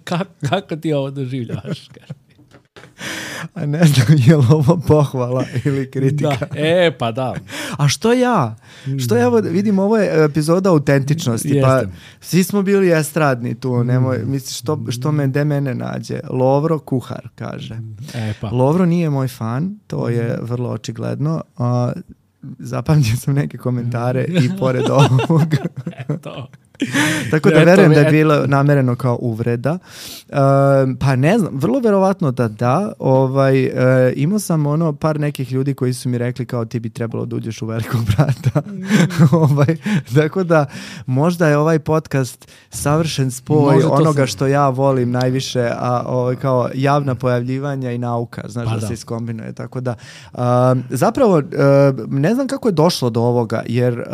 Ka, kako ti ovo doživljavaš? A ne znam, je li ovo pohvala ili kritika? Da. E, pa da. A što ja? Što ja vidim, ovo je epizoda autentičnosti. Jeste. Pa svi smo bili estradni tu. Nemoj, misliš, što, što me, de mene nađe? Lovro kuhar, kaže. E, pa. Lovro nije moj fan, to je vrlo očigledno. A, zapamtio sam neke komentare i pored ovog. Eto. Tako da verujem da je bilo namereno kao uvreda. Uh, pa ne znam, vrlo verovatno da da. Ovaj, uh, imao sam ono par nekih ljudi koji su mi rekli kao ti bi trebalo da uđeš u Velikog brata. Mm. ovaj, tako da možda je ovaj podcast savršen spoj možda onoga sam... što ja volim najviše, a ovaj, kao javna pojavljivanja i nauka, znaš, pa da, da se iskombinuje. Tako da uh, zapravo uh, ne znam kako je došlo do ovoga, jer uh,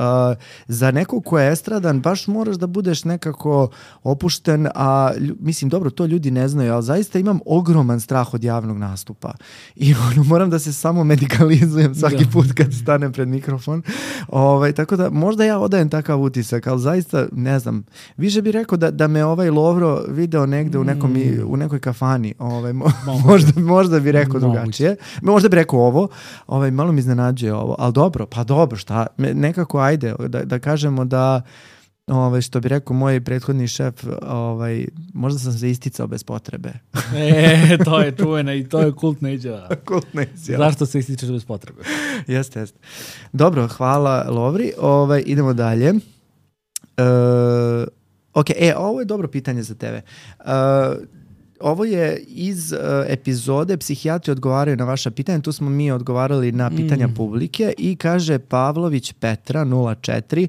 za nekog ko je estradan baš mora da budeš nekako opušten, a mislim, dobro, to ljudi ne znaju, ali zaista imam ogroman strah od javnog nastupa. I ono, moram da se samo medikalizujem svaki da. put kad stanem pred mikrofon. Ovaj, tako da, možda ja odajem takav utisak, ali zaista, ne znam, više bih rekao da, da me ovaj Lovro video negde u, nekom, mm. u nekoj kafani. Ovaj, mo, možda, možda bi rekao drugačije. Možda bi rekao ovo. Ovaj, malo mi iznenađuje ovo. Ali dobro, pa dobro, šta? Nekako, ajde, da, da kažemo da Ove, što bi rekao moj prethodni šef, ovaj, možda sam se isticao bez potrebe. E, to je čuvena i to je kultna izjava. Kultna izjava. Zašto se ističeš bez potrebe? Jeste, jeste. Dobro, hvala Lovri. Ovaj, idemo dalje. E, ok, e, ovo je dobro pitanje za tebe. E, Ovo je iz uh, epizode Psihijatri odgovaraju na vaša pitanja. Tu smo mi odgovarali na pitanja mm. publike i kaže Pavlović Petra nula četiri.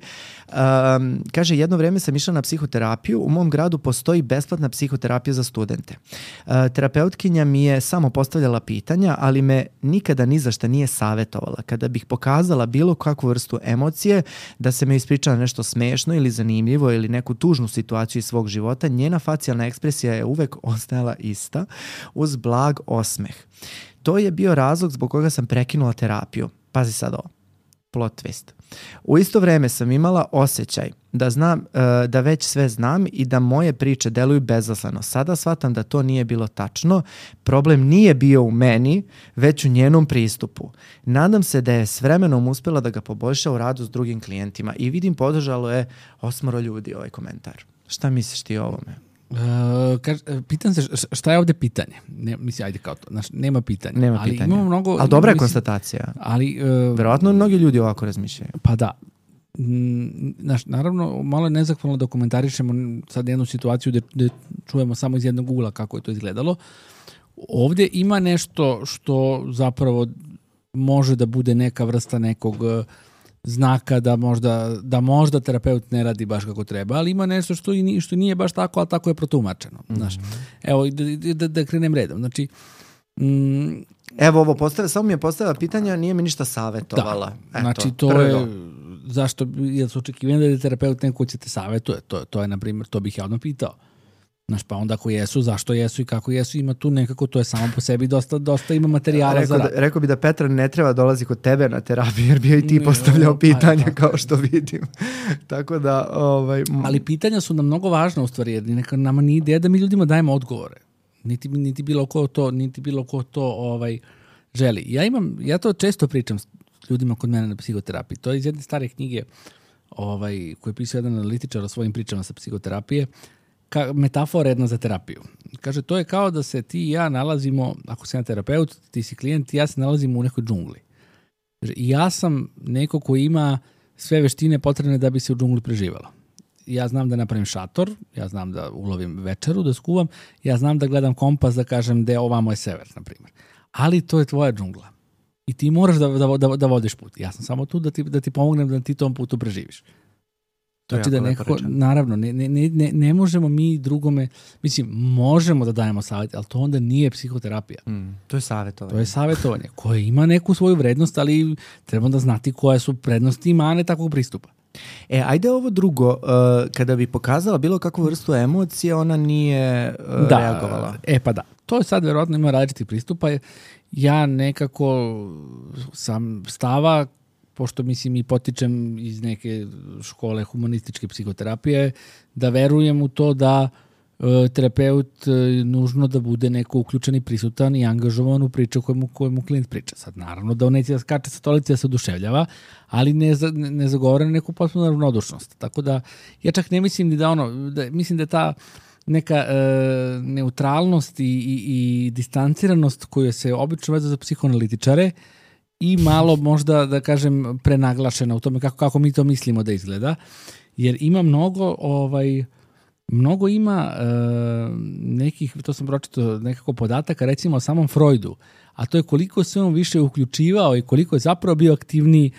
Um, kaže, jedno vreme sam išla na psihoterapiju. U mom gradu postoji besplatna psihoterapija za studente. Uh, terapeutkinja mi je samo postavljala pitanja, ali me nikada ni za šta nije savjetovala. Kada bih pokazala bilo kakvu vrstu emocije, da se me ispričala nešto smešno ili zanimljivo ili neku tužnu situaciju iz svog života, njena facijalna ekspresija je uvek ostajala ista uz blag osmeh. To je bio razlog zbog koga sam prekinula terapiju. Pazi sad ovo. Plot twist. U isto vreme sam imala osjećaj da znam, uh, da već sve znam i da moje priče deluju bezaslano. Sada shvatam da to nije bilo tačno. Problem nije bio u meni, već u njenom pristupu. Nadam se da je s vremenom uspjela da ga poboljša u radu s drugim klijentima i vidim podržalo je osmoro ljudi ovaj komentar. Šta misliš ti o ovome? Uh, kaž, pitam se šta je ovdje pitanje. Ne, misli, ajde kao to. Znaš, nema pitanja. Nema ali pitanja. Imamo mnogo, ali dobra je mislim, konstatacija. Ali, uh, verovatno mnogi ljudi ovako razmišljaju. Pa da. Znaš, naravno, malo je nezahvalno da komentarišemo sad jednu situaciju gdje, gdje čujemo samo iz jednog ugla kako je to izgledalo. Ovdje ima nešto što zapravo može da bude neka vrsta nekog znaka da možda, da možda terapeut ne radi baš kako treba, ali ima nešto što, i, što nije baš tako, ali tako je protumačeno. Mm-hmm. Znaš. Evo, da, da, da krenem redom. Znači, mm, Evo ovo, postavlja, samo mi je postavila pitanja, nije mi ništa savjetovala. Da, Eto, znači to prvo. je, zašto, jer su očekivani da je terapeut neko će te savjetuje, to, to je, na primjer, to bih ja odmah pitao. Znaš, pa onda ako jesu, zašto jesu i kako jesu, ima tu nekako, to je samo po sebi dosta, dosta ima materijala rekao za rad. Da, rekao bi da Petra ne treba dolazi kod tebe na terapiju, jer bi i ti postavljao pitanja, kao što vidim. Tako da, ovaj... Ali pitanja su nam mnogo važna u stvari, jer neka nama nije ideja da mi ljudima dajemo odgovore. Niti, niti bilo ko to, niti bilo ko to ovaj, želi. Ja imam, ja to često pričam s ljudima kod mene na psihoterapiji. To je iz jedne stare knjige ovaj, koju je pisao jedan analitičar o svojim pričama sa psihoterapije, ka, metafora jedna za terapiju. Kaže, to je kao da se ti i ja nalazimo, ako si na terapeut, ti si klijent, ja se nalazimo u nekoj džungli. I ja sam neko ko ima sve veštine potrebne da bi se u džungli preživalo. Ja znam da napravim šator, ja znam da ulovim večeru, da skuvam, ja znam da gledam kompas, da kažem gde ovamo je sever, na primjer. Ali to je tvoja džungla. I ti moraš da, da, da, da vodiš put. Ja sam samo tu da ti, da ti pomognem da ti tom putu preživiš. To znači da nekako, naravno, ne, ne, ne, ne možemo mi drugome, mislim, možemo da dajemo savjet, ali to onda nije psihoterapija. Mm, to je savjetovanje. To je savjetovanje koje ima neku svoju vrednost, ali treba da znati koje su prednosti i mane takvog pristupa. E, ajde ovo drugo, uh, kada bi pokazala bilo kakvu vrstu emocije, ona nije uh, da, reagovala. E pa da, to je sad verovatno ima različitih pristupa. Ja nekako sam stava, pošto mislim i potičem iz neke škole humanističke psihoterapije, da verujem u to da uh, terapeut uh, nužno da bude neko uključen i prisutan i angažovan u priču kojemu, kojemu klijent priča. Sad naravno da on neće da skače sa stolice da se oduševljava, ali ne, za, ne, ne zagovara neku potpuno ravnodušnost. Tako da ja čak ne mislim ni da ono, da, mislim da je ta neka e, neutralnost i, i, i distanciranost koju se obično vezuje za psihoanalitičare i malo možda, da kažem, prenaglašena u tome kako, kako mi to mislimo da izgleda. Jer ima mnogo, ovaj, mnogo ima e, nekih, to sam pročitao, nekako podataka, recimo o samom Freudu, a to je koliko se on više uključivao i koliko je zapravo bio aktivniji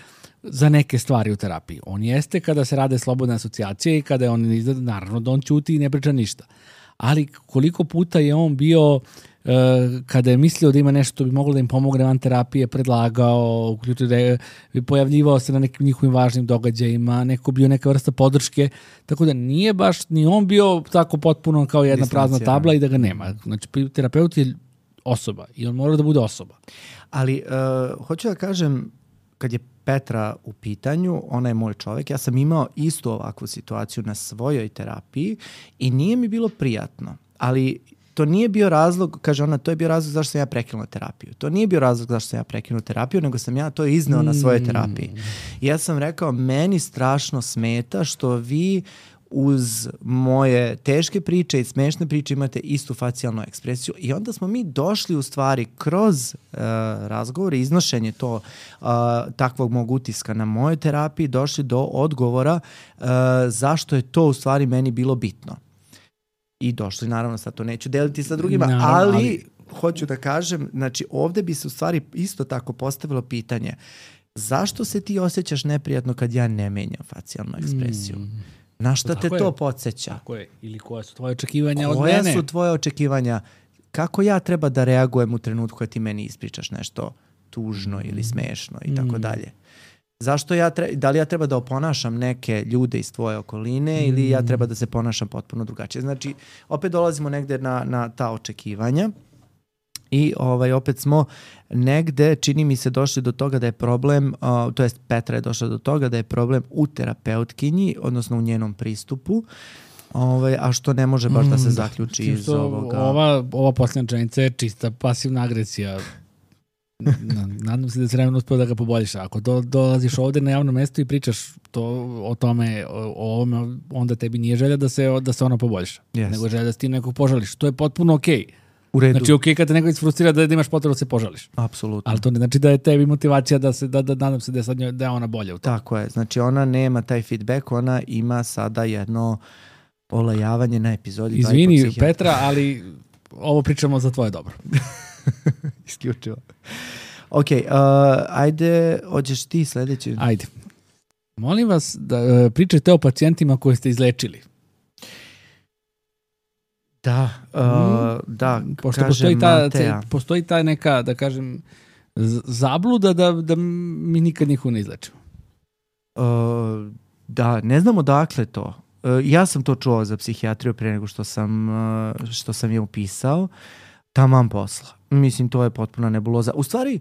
za neke stvari u terapiji. On jeste kada se rade slobodne asocijacije i kada je on izgleda, naravno da on ćuti i ne priča ništa. Ali koliko puta je on bio, uh, kada je mislio da ima nešto bi moglo da im pomogne van terapije, predlagao, uključio, pojavljivao se na nekim njihovim važnim događajima, neko bio neka vrsta podrške, tako da nije baš ni on bio tako potpuno kao jedna prazna tabla i da ga nema. Znači, terapeut je osoba i on mora da bude osoba. Ali, uh, hoću da kažem, kad je Petra u pitanju, ona je moj čovjek, ja sam imao istu ovakvu situaciju na svojoj terapiji i nije mi bilo prijatno, ali to nije bio razlog, kaže ona, to je bio razlog zašto sam ja prekinuo terapiju. To nije bio razlog zašto sam ja prekinuo terapiju, nego sam ja to izneo na svojoj terapiji. I ja sam rekao, meni strašno smeta što vi uz moje teške priče i smešne priče imate istu facijalnu ekspresiju i onda smo mi došli u stvari kroz uh, razgovor i iznošenje to uh, takvog mog utiska na mojoj terapiji došli do odgovora uh, zašto je to u stvari meni bilo bitno. I došli, naravno, sad to neću deliti sa drugima, naravno, ali, ali hoću da kažem, znači ovde bi se u stvari isto tako postavilo pitanje zašto se ti osjećaš neprijatno kad ja ne menjam facijalnu ekspresiju? Mm. Na šta te to podsjeća? Tako je. Ili koja su tvoje očekivanja od mene? Koja su tvoje očekivanja? Kako ja treba da reagujem u trenutku kad ti meni ispričaš nešto tužno ili smešno i tako dalje? Zašto ja treba, da li ja treba da oponašam neke ljude iz tvoje okoline mm. ili ja treba da se ponašam potpuno drugačije? Znači, opet dolazimo negde na, na ta očekivanja. I ovaj, opet smo negde, čini mi se, došli do toga da je problem, uh, to jest Petra je došla do toga da je problem u terapeutkinji, odnosno u njenom pristupu, ovaj, a što ne može baš da se zaključi mm, iz ovoga. Ova, ova posljednja čenica je čista pasivna agresija. Nadam se da se vremena uspio da ga poboljiš. Ako do, dolaziš ovde na javno mesto i pričaš to, o tome, o, o ovome, onda tebi nije želja da se, da se ona poboljiša. Yes. Nego želja da se ti nekog požališ. To je potpuno okej. Okay. U redu. Znači, okej, okay, kad te neko isfrustrira da, da imaš potrebu da se požališ. Apsolutno. Ali to ne znači da je tebi motivacija da se, da, da nadam se da je, sad njoj, da je ona bolja u tom. Tako je. Znači, ona nema taj feedback, ona ima sada jedno olajavanje na epizodi. Izvini, Petra, ali ovo pričamo za tvoje dobro. Isključivo. Ok, uh, ajde, hoćeš ti sledeći? Ajde. Molim vas da uh, pričate o pacijentima koje ste izlečili. Da, uh, da, pošto kažem postoji ta, Mateja. postoji ta neka, da kažem, zabluda da, da mi nikad niko ne izlečimo. Uh, da, ne znam odakle to. Uh, ja sam to čuo za psihijatriju pre nego što sam, uh, što sam je upisao. Taman posla. Mislim, to je potpuna nebuloza. U stvari,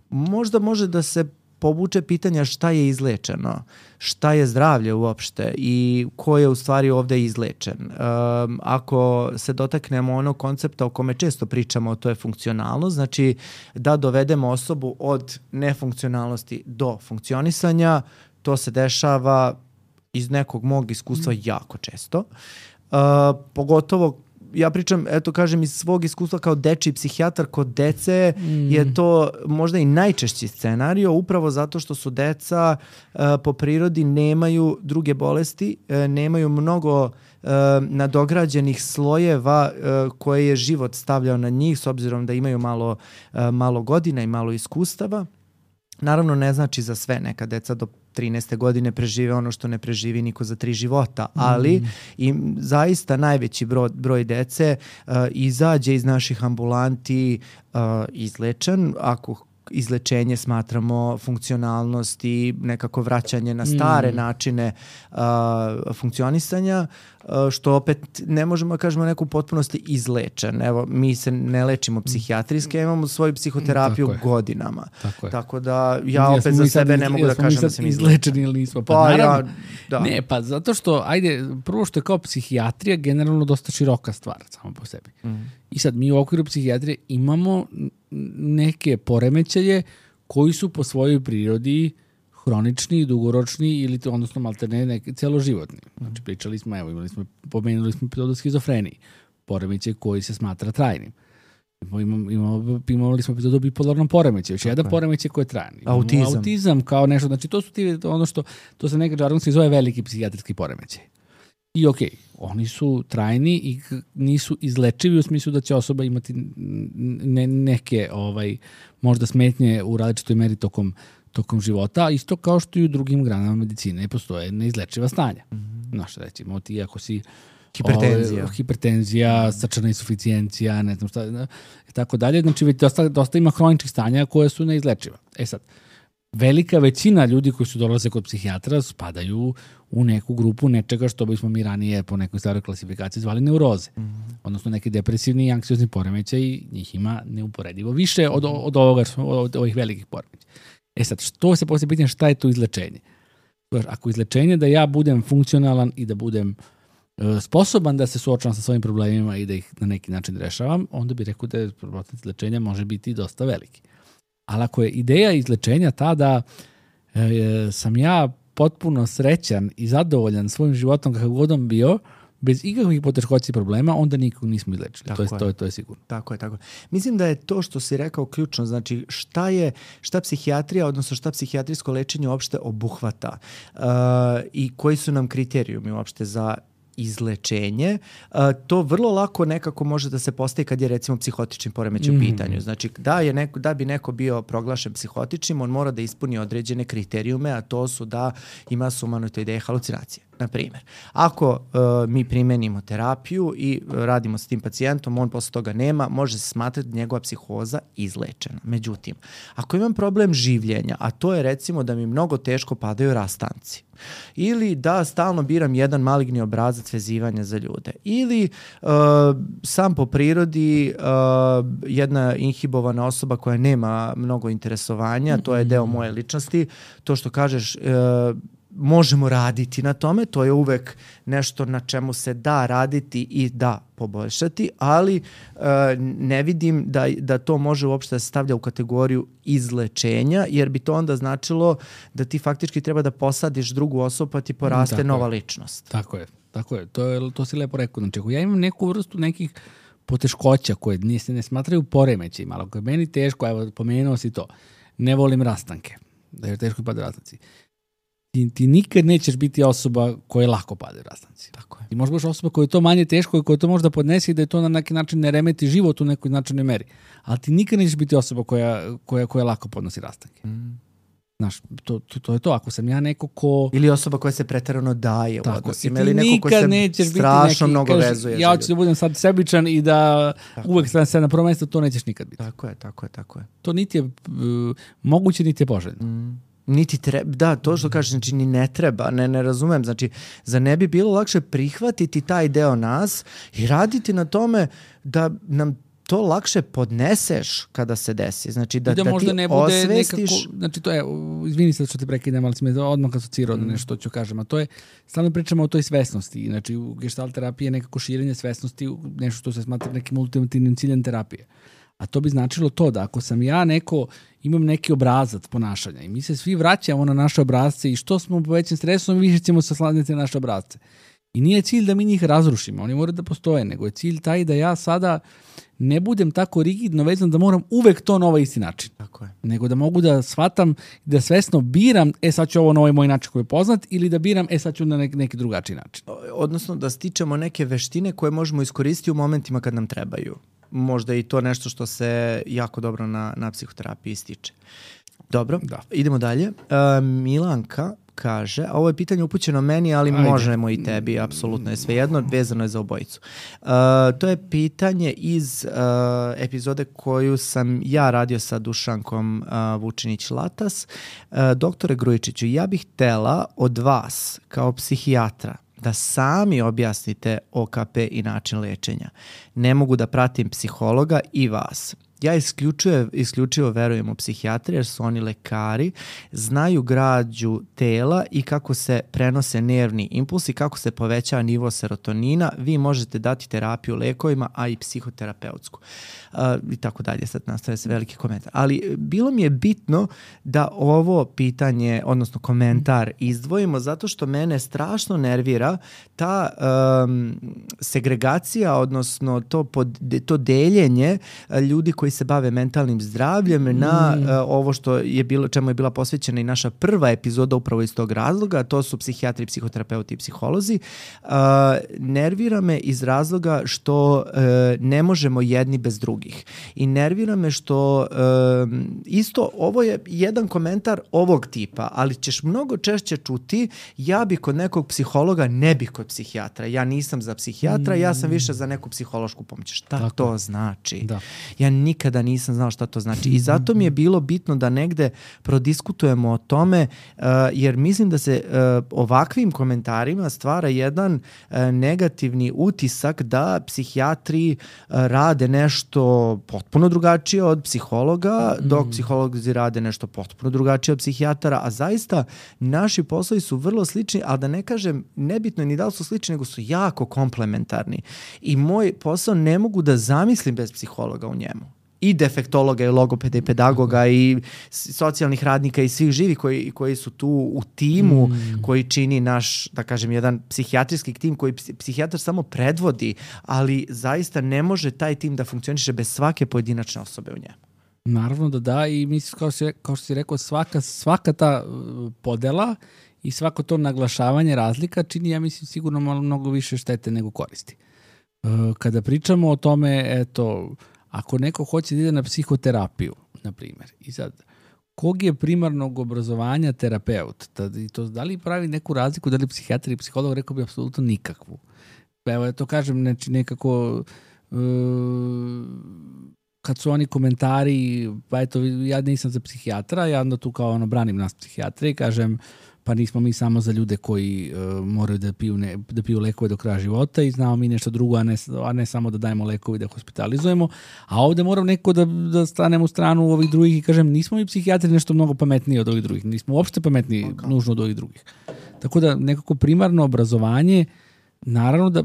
možda može da se povuče pitanja šta je izlečeno, šta je zdravlje uopšte i ko je u stvari ovde izlečen. Um, ako se dotaknemo onog koncepta o kome često pričamo, to je funkcionalnost, znači da dovedemo osobu od nefunkcionalnosti do funkcionisanja, to se dešava iz nekog mog iskustva jako često. Uh, pogotovo ja pričam, eto kažem, iz svog iskustva kao dečiji psihijatar, kod dece mm. je to možda i najčešći scenario, upravo zato što su deca uh, po prirodi nemaju druge bolesti, uh, nemaju mnogo uh, nadograđenih slojeva uh, koje je život stavljao na njih, s obzirom da imaju malo, uh, malo godina i malo iskustava. Naravno, ne znači za sve, neka deca do trinaeste godine prežive ono što ne preživi niko za tri života, ali mm. i zaista najveći broj, broj dece uh, izađe iz naših ambulanti uh, izlečen, ako izlečenje smatramo funkcionalnost i nekako vraćanje na stare mm. načine uh, funkcionisanja, uh, što opet ne možemo da kažemo neku potpunosti izlečen. Evo, mi se ne lečimo psihijatrijske, imamo svoju psihoterapiju Tako godinama. Tako, Tako da ja opet za sebe sad, ne mogu da kažem da sam izlečeni ili nismo. Pa, pa naravno, ja, da. Ne, pa zato što, ajde, prvo što je kao psihijatrija generalno dosta široka stvar samo po sebi. Mm. I sad mi u okviru psihijatrije imamo neke poremećaje koji su po svojoj prirodi hronični, dugoročni ili to, odnosno maltene neki celoživotni. Znači pričali smo, evo imali smo, pomenuli smo epizodu o schizofreniji, poremećaj koji se smatra trajnim. Imamo, imamo, imali smo epizodu o bipolarnom poremećaju, još jedan poremećaj koji je trajan. Autizam. Autizam kao nešto, znači to su ti, ono što, to se neka žargonski zove veliki psihijatrijski poremećaj. I okej, okay, oni su trajni i nisu izlečivi u smislu da će osoba imati ne, neke ovaj, možda smetnje u različitoj meri tokom, tokom života, isto kao što i u drugim granama medicine postoje neizlečiva stanja. Mm-hmm. Znaš, recimo ti ako si hipertenzija, ovaj, hipertenzija, srčana insuficijencija, ne znam šta, i tako dalje, znači dosta, dosta ima hroničnih stanja koje su neizlečiva. E sad, velika većina ljudi koji su dolaze kod psihijatra spadaju u neku grupu nečega što bismo mi ranije po nekoj staroj klasifikaciji zvali neuroze. Mm-hmm. Odnosno neki depresivni i anksiozni poremećaj, njih ima neuporedivo više od, od, ovoga, od ovih velikih poremećaja. E sad, što se poslije pitanje šta je to izlečenje? Ako izlečenje da ja budem funkcionalan i da budem uh, sposoban da se suočavam sa svojim problemima i da ih na neki način rešavam, onda bih rekao da procent izlečenja može biti dosta veliki. Ali ako je ideja izlečenja ta da e, sam ja potpuno srećan i zadovoljan svojim životom kakav god on bio, bez ikakvih poteškoća i problema, onda nikog nismo izlečili. To je, to, je, to je sigurno. Tako je, tako je. Mislim da je to što si rekao ključno, znači šta je, šta psihijatrija, odnosno šta psihijatrijsko lečenje uopšte obuhvata uh, i koji su nam kriterijumi uopšte za izlečenje, uh, to vrlo lako nekako može da se postavi kad je recimo psihotični poremećaj u mm. pitanju. Znači da, je neko, da bi neko bio proglašen psihotičnim, on mora da ispuni određene kriterijume, a to su da ima sumanuta ideje halucinacije. Na primjer, ako uh, mi primenimo terapiju i radimo s tim pacijentom, on posle toga nema, može se smatrati njegova psihoza izlečena. Međutim, ako imam problem življenja, a to je recimo da mi mnogo teško padaju rastanci, ili da stalno biram jedan maligni obrazac vezivanja za ljude, ili uh, sam po prirodi uh, jedna inhibovana osoba koja nema mnogo interesovanja, to je deo moje ličnosti, to što kažeš, uh, možemo raditi na tome, to je uvek nešto na čemu se da raditi i da poboljšati, ali uh, ne vidim da, da to može uopšte da se stavlja u kategoriju izlečenja, jer bi to onda značilo da ti faktički treba da posadiš drugu osobu pa ti poraste tako nova je. ličnost. Tako je, tako je. To, je, to si lepo rekao. Znači, ako ja imam neku vrstu nekih poteškoća koje se ne smatraju poremećajima, ali ako je meni teško, evo, pomenuo si to, ne volim rastanke, da je teško i pada rastanci. Ti, ti nikad nećeš biti osoba koja lako pade rastanci. Tako je. Ti možeš biti osoba koja je to manje teško i koja to možda podnesi i da je to na neki način ne remeti život u nekoj značajnoj meri. Ali ti nikad nećeš biti osoba koja, koja, koja lako podnosi rastanke. Mm. Znaš, to, to, to je to. Ako sam ja neko ko... Ili osoba koja se preterano daje u odnosima. Ili neko ko se neki, strašno mnogo kažeš, vezuje. Ja hoću da budem sad sebičan i da tako uvek stavim se na prvo mesto, to nećeš nikad biti. Tako je, tako je, tako je. To niti je uh, moguće, niti je poželjno. Mm. Niti treba, da, to što kažeš, znači ni ne treba, ne, ne razumem, znači za ne bi bilo lakše prihvatiti taj deo nas i raditi na tome da nam to lakše podneseš kada se desi. Znači da, da, da možda ti ne bude osvestiš... Nekako, znači to je, izvini se što te prekidam, ali si me odmah asocirao mm. nešto ću kažem, a to je, stalno pričamo o toj svesnosti. Znači u gestalt terapiji je nekako širenje svesnosti, nešto što se smatra nekim ultimativnim ciljem terapije. A to bi značilo to da ako sam ja neko, imam neki obrazac ponašanja i mi se svi vraćamo na naše obrazce i što smo po većem stresom, više ćemo se sladiti na naše obrazce. I nije cilj da mi njih razrušimo, oni moraju da postoje, nego je cilj taj da ja sada ne budem tako rigidno vezan da moram uvek to na ovaj isti način. Tako je. Nego da mogu da shvatam, da svesno biram, e sad ću ovo na ovaj moj način koji je poznat, ili da biram, e sad ću na neki, neki drugačiji način. Odnosno da stičemo neke veštine koje možemo iskoristiti u momentima kad nam trebaju. Možda i to nešto što se jako dobro na, na psihoterapiji stiče. Dobro, da. Idemo dalje. Uh, Milanka kaže, a ovo je pitanje upućeno meni, ali Ajde. možemo i tebi, apsolutno je svejedno, vezano je za obojicu. Uh, to je pitanje iz uh, epizode koju sam ja radio sa Dušankom uh, Vučinić-Latas. Uh, doktore Grujičiću, ja bih htela od vas, kao psihijatra, da sami objasnite O K P i način lečenja. Ne mogu da pratim psihologa i vas. Ja isključivo, isključivo verujem u psihijatriju jer su oni lekari, znaju građu tela i kako se prenose nervni impulsi, kako se povećava nivo serotonina. Vi možete dati terapiju lekovima, a i psihoterapeutsku. Uh, I tako dalje, sad nastavlja se veliki komentar. Ali bilo mi je bitno da ovo pitanje, odnosno komentar izdvojimo, zato što mene strašno nervira ta um, segregacija, odnosno to, pod, to deljenje ljudi koji se bave mentalnim zdravljem mm. na uh, ovo što je bilo, čemu je bila posvećena i naša prva epizoda upravo iz tog razloga, to su psihijatri, psihoterapeuti i psiholozi. Uh, nervira me iz razloga što uh, ne možemo jedni bez drugih. I nervira me što uh, isto, ovo je jedan komentar ovog tipa, ali ćeš mnogo češće čuti, ja bi kod nekog psihologa, ne bih kod psihijatra. Ja nisam za psihijatra, mm. ja sam više za neku psihološku pomoć. Šta Tako. to znači? Da. Ja nikada nisam znao šta to znači. I zato mi je bilo bitno da negde prodiskutujemo o tome, uh, jer mislim da se uh, ovakvim komentarima stvara jedan uh, negativni utisak da psihijatri uh, rade nešto potpuno drugačije od psihologa, mm. dok psiholozi rade nešto potpuno drugačije od psihijatara, a zaista naši poslovi su vrlo slični, ali da ne kažem, nebitno je ni da li su slični, nego su jako komplementarni. I moj posao ne mogu da zamislim bez psihologa u njemu. I defektologa, i logopeda, i pedagoga, i socijalnih radnika, i svih živih koji, koji su tu u timu, mm. koji čini naš, da kažem, jedan psihijatrijski tim koji psihijatar samo predvodi, ali zaista ne može taj tim da funkcioniše bez svake pojedinačne osobe u njemu. Naravno da da, i mislim, kao, si, kao što si rekao, svaka, svaka ta podela i svako to naglašavanje razlika čini, ja mislim, sigurno malo mnogo više štete nego koristi. Kada pričamo o tome, eto, ako neko hoće da ide na psihoterapiju, na primjer, i sad, kog je primarnog obrazovanja terapeut? Da, to, da li pravi neku razliku, da li psihijatar i psiholog, rekao bi apsolutno nikakvu. Evo, ja to kažem, znači, nekako, uh, kad su oni komentari, pa eto, ja nisam za psihijatra, ja onda tu kao ono branim nas psihijatra i kažem, pa nismo mi samo za ljude koji uh, moraju da piju, ne, da piju lekove do kraja života i znamo mi nešto drugo, a ne, a ne samo da dajemo lekove i da hospitalizujemo. A ovde moram neko da, da stanem u stranu ovih drugih i kažem, nismo mi psihijatri nešto mnogo pametniji od ovih drugih, nismo uopšte pametniji okay. nužno od ovih drugih. Tako da nekako primarno obrazovanje, naravno da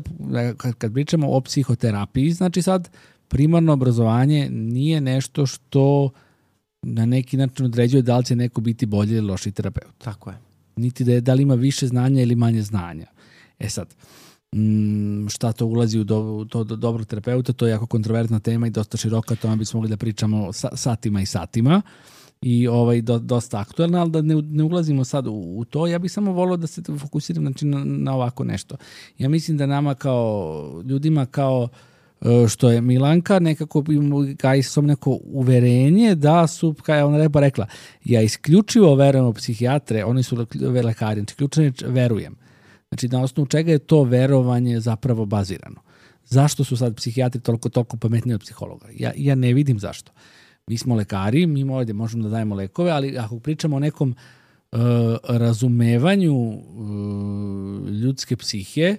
kad, kad pričamo o psihoterapiji, znači sad primarno obrazovanje nije nešto što na neki način određuje da li će neko biti bolji ili loši terapeut. Tako je. Niti da, je, da li ima više znanja ili manje znanja. E sad, m, šta to ulazi u do, to do dobrog terapeuta, to je jako kontroverzna tema i dosta široka, to bismo mogli da pričamo sa, satima i satima i ovaj, do, dosta aktualna, ali da ne, ne ulazimo sad u, u to, ja bih samo volio da se fokusiram znači, na, na ovako nešto. Ja mislim da nama kao ljudima kao što je Milanka nekako gaji som neko uverenje da su, kao je ona lepo rekla, ja isključivo verujem u psihijatre, oni su lekari, znači ključno verujem. Znači na osnovu čega je to verovanje zapravo bazirano. Zašto su sad psihijatri toliko, toliko pametniji od psihologa? Ja, ja ne vidim zašto. Mi smo lekari, mi ovdje možemo da dajemo lekove, ali ako pričamo o nekom uh, razumevanju uh, ljudske psihe,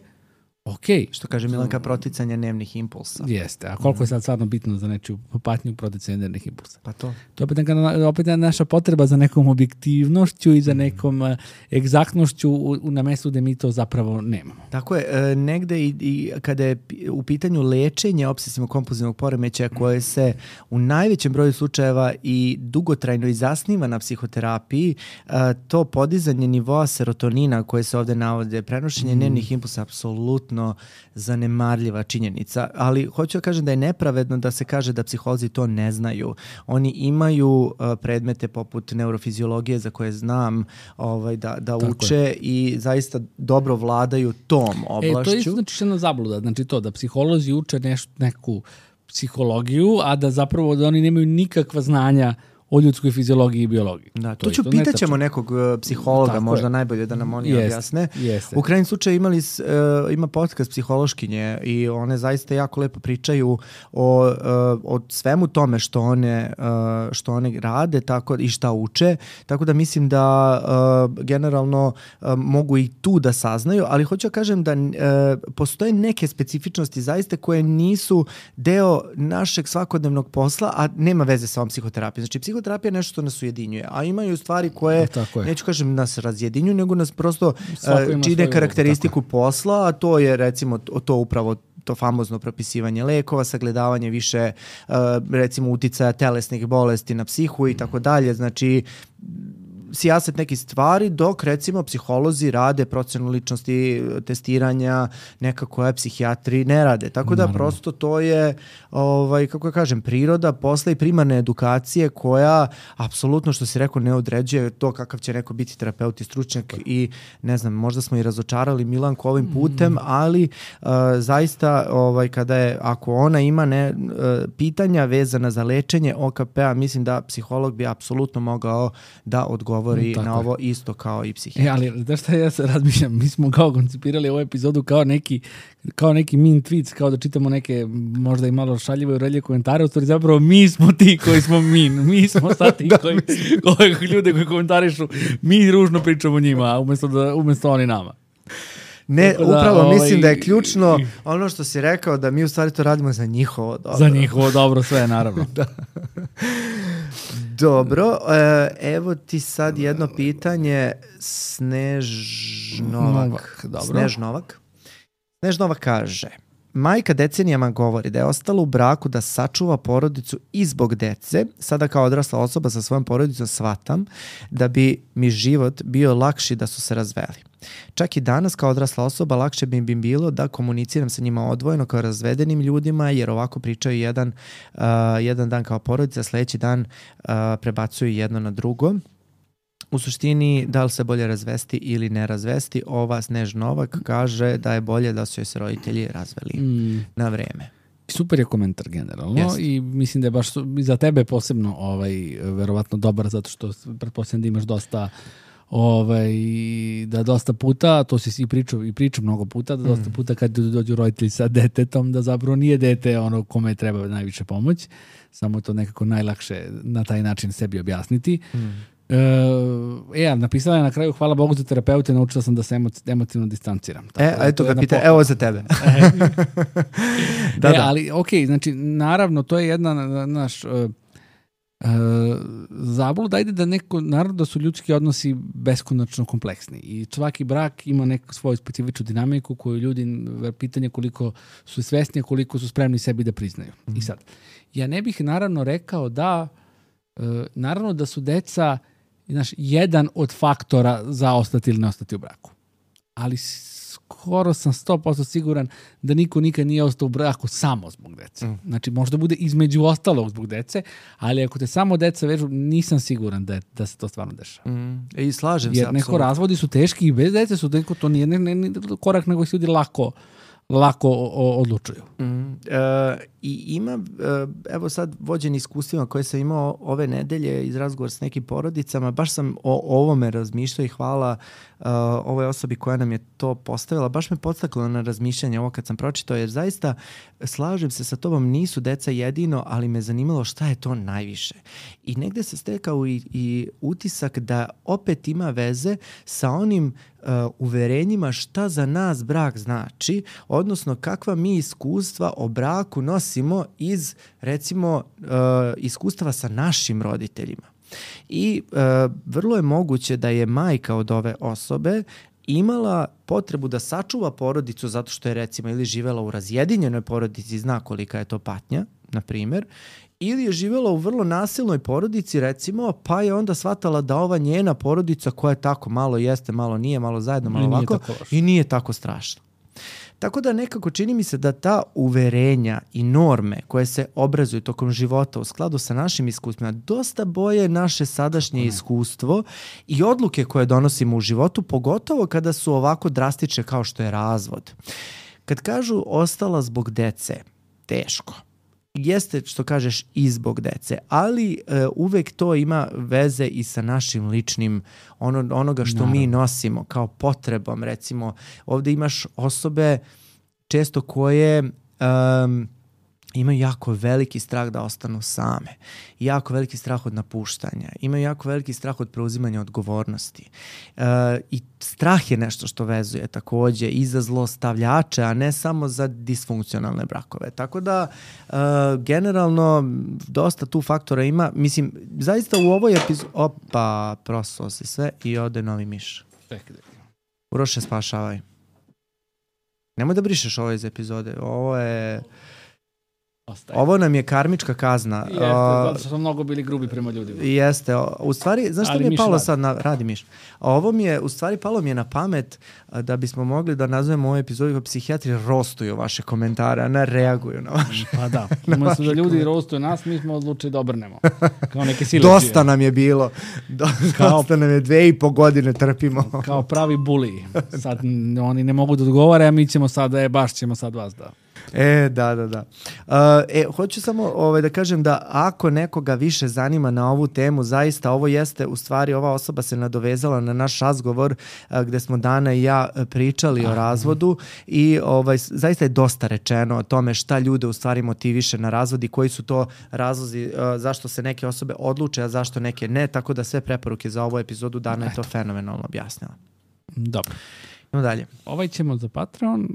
ok. Što kaže Milanka, proticanje dnevnih impulsa. Jeste, a koliko je sad stvarno bitno za nečiju patnju proticanje dnevnih impulsa? Pa to. To je opet, neka, opet naša potreba za nekom objektivnošću i za nekom uh, egzaktnošću u, u, na mestu gde mi to zapravo nemamo. Tako je, e, negde i, i kada je u pitanju lečenja obsesivno-kompulzivnog poremećaja koje se u najvećem broju slučajeva i dugotrajno i zasniva na psihoterapiji, e, to podizanje nivoa serotonina koje se ovde navode, prenošenje dnevnih impulsa, apsolutno zanemarljiva činjenica, ali hoću da kažem da je nepravedno da se kaže da psiholozi to ne znaju. Oni imaju uh, predmete poput neurofiziologije za koje znam ovaj, da, da uče je. I zaista dobro vladaju tom oblašću. E, to je znači jedna zabluda, znači to da psiholozi uče neš, neku psihologiju, a da zapravo da oni nemaju nikakva znanja o ljudskoj fiziologiji i biologiji. Da, to, to ću, pitaćemo nekog uh, psihologa, tako možda je. Najbolje da nam oni jest, objasne. Jeste. U krajnjem slučaju imali, uh, ima podcast psihološkinje i one zaista jako lepo pričaju o, uh, o svemu tome što one, uh, što one rade tako, i šta uče, tako da mislim da uh, generalno uh, mogu i tu da saznaju, ali hoću da kažem da uh, postoje neke specifičnosti zaista koje nisu deo našeg svakodnevnog posla, a nema veze sa ovom psihoterapijom. Znači, psihoterapija terapija je nešto što nas ujedinjuje, a imaju stvari koje, neću kažem nas razjedinjuju, nego nas prosto uh, čine karakteristiku posla, a to je recimo to, to upravo to famozno propisivanje lekova, sagledavanje više uh, recimo uticaja telesnih bolesti na psihu i tako dalje, znači sijaset nekih stvari, dok recimo psiholozi rade procenu ličnosti, testiranja, neka koja psihijatri ne rade. Tako da Naravno. Prosto to je, ovaj, kako ja kažem, priroda posla i primarne edukacije koja apsolutno, što si rekao, ne određuje to kakav će neko biti terapeut i stručnjak i ne znam, možda smo i razočarali Milanku ovim putem, mm. ali uh, zaista ovaj, kada je, ako ona ima ne, uh, pitanja vezana za lečenje O K P-a, mislim da psiholog bi apsolutno mogao da odgovori Tako na ovo isto kao i psihijatar. E, ali da šta ja se razmišljam, mi smo kao koncipirali ovu epizodu kao neki, kao neki mean tweets, kao da čitamo neke možda i malo šaljive urelje komentare, u stvari zapravo mi smo ti koji smo mean, mi smo sad ti koji, koji ljude koji komentarišu, mi ružno pričamo njima, umjesto, da, umjesto oni nama. Ne, da, upravo ovaj, mislim da je ključno ono što si rekao, da mi u stvari to radimo za njihovo dobro. Za njihovo dobro, sve naravno. Da. Dobro, evo ti sad jedno pitanje. Snež Novak. Dobro. Snež Novak. Snež Novak kaže: majka decenijama govori da je ostala u braku da sačuva porodicu i zbog dece. Sada kao odrasla osoba sa svojom porodicom shvatam da bi mi život bio lakši da su se razveli. Čak i danas kao odrasla osoba lakše bi mi bilo da komuniciram sa njima odvojeno kao razvedenim ljudima, jer ovako pričaju jedan, uh, jedan dan kao porodica, sljedeći dan uh, prebacuju jedno na drugo. U suštini, da li se bolje razvesti ili ne razvesti, ova Snež Novak kaže da je bolje da su joj se roditelji razveli mm. na vreme. Super je komentar generalno. Jest. I mislim da je baš za tebe posebno ovaj, verovatno dobar, zato što pretpostavljam da imaš dosta ovaj, da dosta puta, to si i pričao i pričam mnogo puta, da dosta puta kad dođu roditelji sa detetom, da zapravo nije dete ono kome treba najviše pomoć, samo to nekako najlakše na taj način sebi objasniti. Mm. E, napisala je na kraju: hvala Bogu za terapeute, naučila sam da se emo- emotivno distanciram. Tako, e, a eto ga pita, evo za tebe. da, e, da. Ali, ok, znači, naravno, to je jedna naš uh, uh, zabluda, ajde da neko, naravno da su ljudski odnosi beskonačno kompleksni i svaki brak ima neku svoju specifičnu dinamiku koju ljudi, pitanje koliko su svesni, koliko su spremni sebi da priznaju. Mm. I sad, ja ne bih naravno rekao da, uh, naravno da su deca znaš, jedan od faktora za ostati ili ne ostati u braku. Ali skoro sam sto posto siguran da niko nikad nije ostao u braku samo zbog dece. Mm. Znači, možda bude između ostalog zbog dece, ali ako te samo deca vežu, nisam siguran da, je, da se to stvarno dešava. Mm. I slažem Jer se, neko apsolutno. Razvodi su teški i bez dece su, neko, to nije ne, ne, ne, korak nego se ljudi lako lako o, o, odlučuju. Mm, e, I ima, e, evo sad vođen iskustvima koje sam imao ove nedelje iz razgovora s nekim porodicama, baš sam o ovome razmišljao i hvala uh, ovoj osobi koja nam je to postavila, baš me podstaklo na razmišljanje ovo kad sam pročitao, jer zaista slažem se sa tobom, nisu deca jedino, ali me zanimalo šta je to najviše. I negde se stekao i, i utisak da opet ima veze sa onim uh, uverenjima šta za nas brak znači, odnosno kakva mi iskustva o braku nosimo iz, recimo, uh, iskustava sa našim roditeljima. I uh, vrlo je moguće da je majka od ove osobe imala potrebu da sačuva porodicu zato što je, recimo, ili živela u razjedinjenoj porodici, zna kolika je to patnja, na primjer, ili je živjela u vrlo nasilnoj porodici, recimo, pa je onda shvatala da ova njena porodica, koja je tako malo jeste, malo nije, malo zajedno, malo I ovako, i nije tako strašna. Tako da nekako čini mi se da ta uverenja i norme koje se obrazuju tokom života u skladu sa našim iskustvima dosta boje naše sadašnje iskustvo i odluke koje donosimo u životu, pogotovo kada su ovako drastične kao što je razvod. Kad kažu ostala zbog dece, teško. Jeste, što kažeš, i zbog dece, ali e, uvek to ima veze i sa našim ličnim, ono, onoga što Naravno. mi nosimo kao potrebom. Recimo, ovdje imaš osobe često koje um, imaju jako veliki strah da ostanu same, jako veliki strah od napuštanja, imaju jako veliki strah od preuzimanja odgovornosti. E, I strah je nešto što vezuje takođe i za zlostavljače, a ne samo za disfunkcionalne brakove. Tako da, e, generalno, dosta tu faktora ima. Mislim, zaista u ovoj epizodi... Opa, prosuo se sve i ode novi miš. Uroše, spašavaj. Nemoj da brišeš ovo iz epizode. Ovo je... Ostaje. Ovo nam je karmička kazna. Jeste, zato što smo mnogo bili grubi prema ljudima. Jeste. U stvari, znaš što mi je palo radi. sad na... Radi miš. Ovo mi je, u stvari, palo mi je na pamet da bismo mogli da nazovemo ovu epizodu kao psihijatri rostuju vaše komentare, a ne reaguju na vaše. Pa da. Umesto da ljudi rostuju nas, mi smo odlučili da obrnemo. Kao neke silecije. Dosta nam je bilo. Dosta kao, nam je dve i po godine trpimo. Kao pravi buliji. Sad oni ne mogu da odgovore, a mi ćemo sad, e, baš ćemo sad vas da... E, da, da, da. Uh, e, hoću samo ovaj, da kažem da ako nekoga više zanima na ovu temu, zaista ovo jeste, u stvari ova osoba se nadovezala na naš razgovor uh, gde smo Dana i ja pričali Aha. o razvodu i ovaj, zaista je dosta rečeno o tome šta ljude u stvari motiviše na razvod i koji su to razlozi uh, zašto se neke osobe odluče, a zašto neke ne, tako da sve preporuke za ovu epizodu Dana je to fenomenalno objasnila. Dobro. No dalje. Ovaj ćemo za Patreon...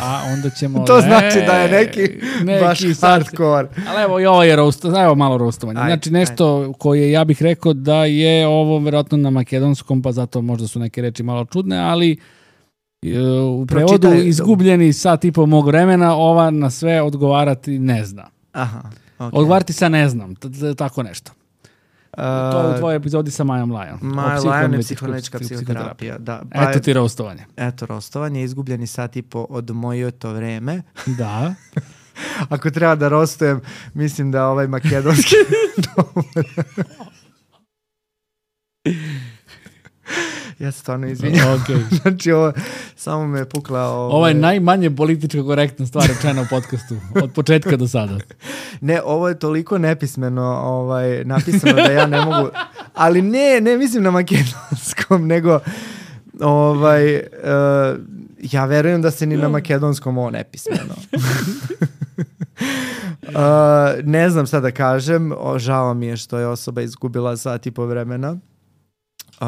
A onda ćemo... to znači da je neki, neki baš hardcore. Ali evo i ovo je roast, evo malo roastovanje. Znači nešto ajde. koje ja bih rekao da je ovo vjerojatno na makedonskom, pa zato možda su neke reči malo čudne, ali u prevodu Pročitaj, izgubljeni sat i po mog vremena, ova na sve odgovarati ne zna. Aha, okay. Odgovarati sa ne znam, t- t- tako nešto. Uh, to je u tvojoj epizodi sa Majom Lajon. Maja Lajon je psihoanalitička psihoterapija. Da. Pa eto ti roastovanje. Eto roastovanje, izgubljeni sat i po od moje to vreme. Da. Ako treba da roastujem, mislim da ovaj makedonski... Ja se stvarno izvinjam. Okay. Znači, ovo, samo me je pukla... Ovo, ovo je najmanje političko korektna stvar rečena u podcastu. Od početka do sada. Ne, ovo je toliko nepismeno ovaj, napisano da ja ne mogu... Ali ne, ne mislim na makedonskom, nego... Ovaj, uh, ja verujem da se ni na makedonskom ovo nepismeno. uh, ne znam šta da kažem. O, žao mi je što je osoba izgubila sat i po vremena. Uh,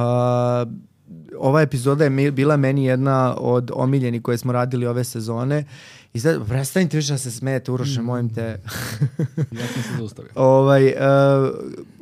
ova epizoda je bila meni jedna od omiljenih koje smo radili ove sezone i sad, prestanite više da se smijete, Uroše, mm. mojim te. Ja sam se zaustavio. ovaj, uh,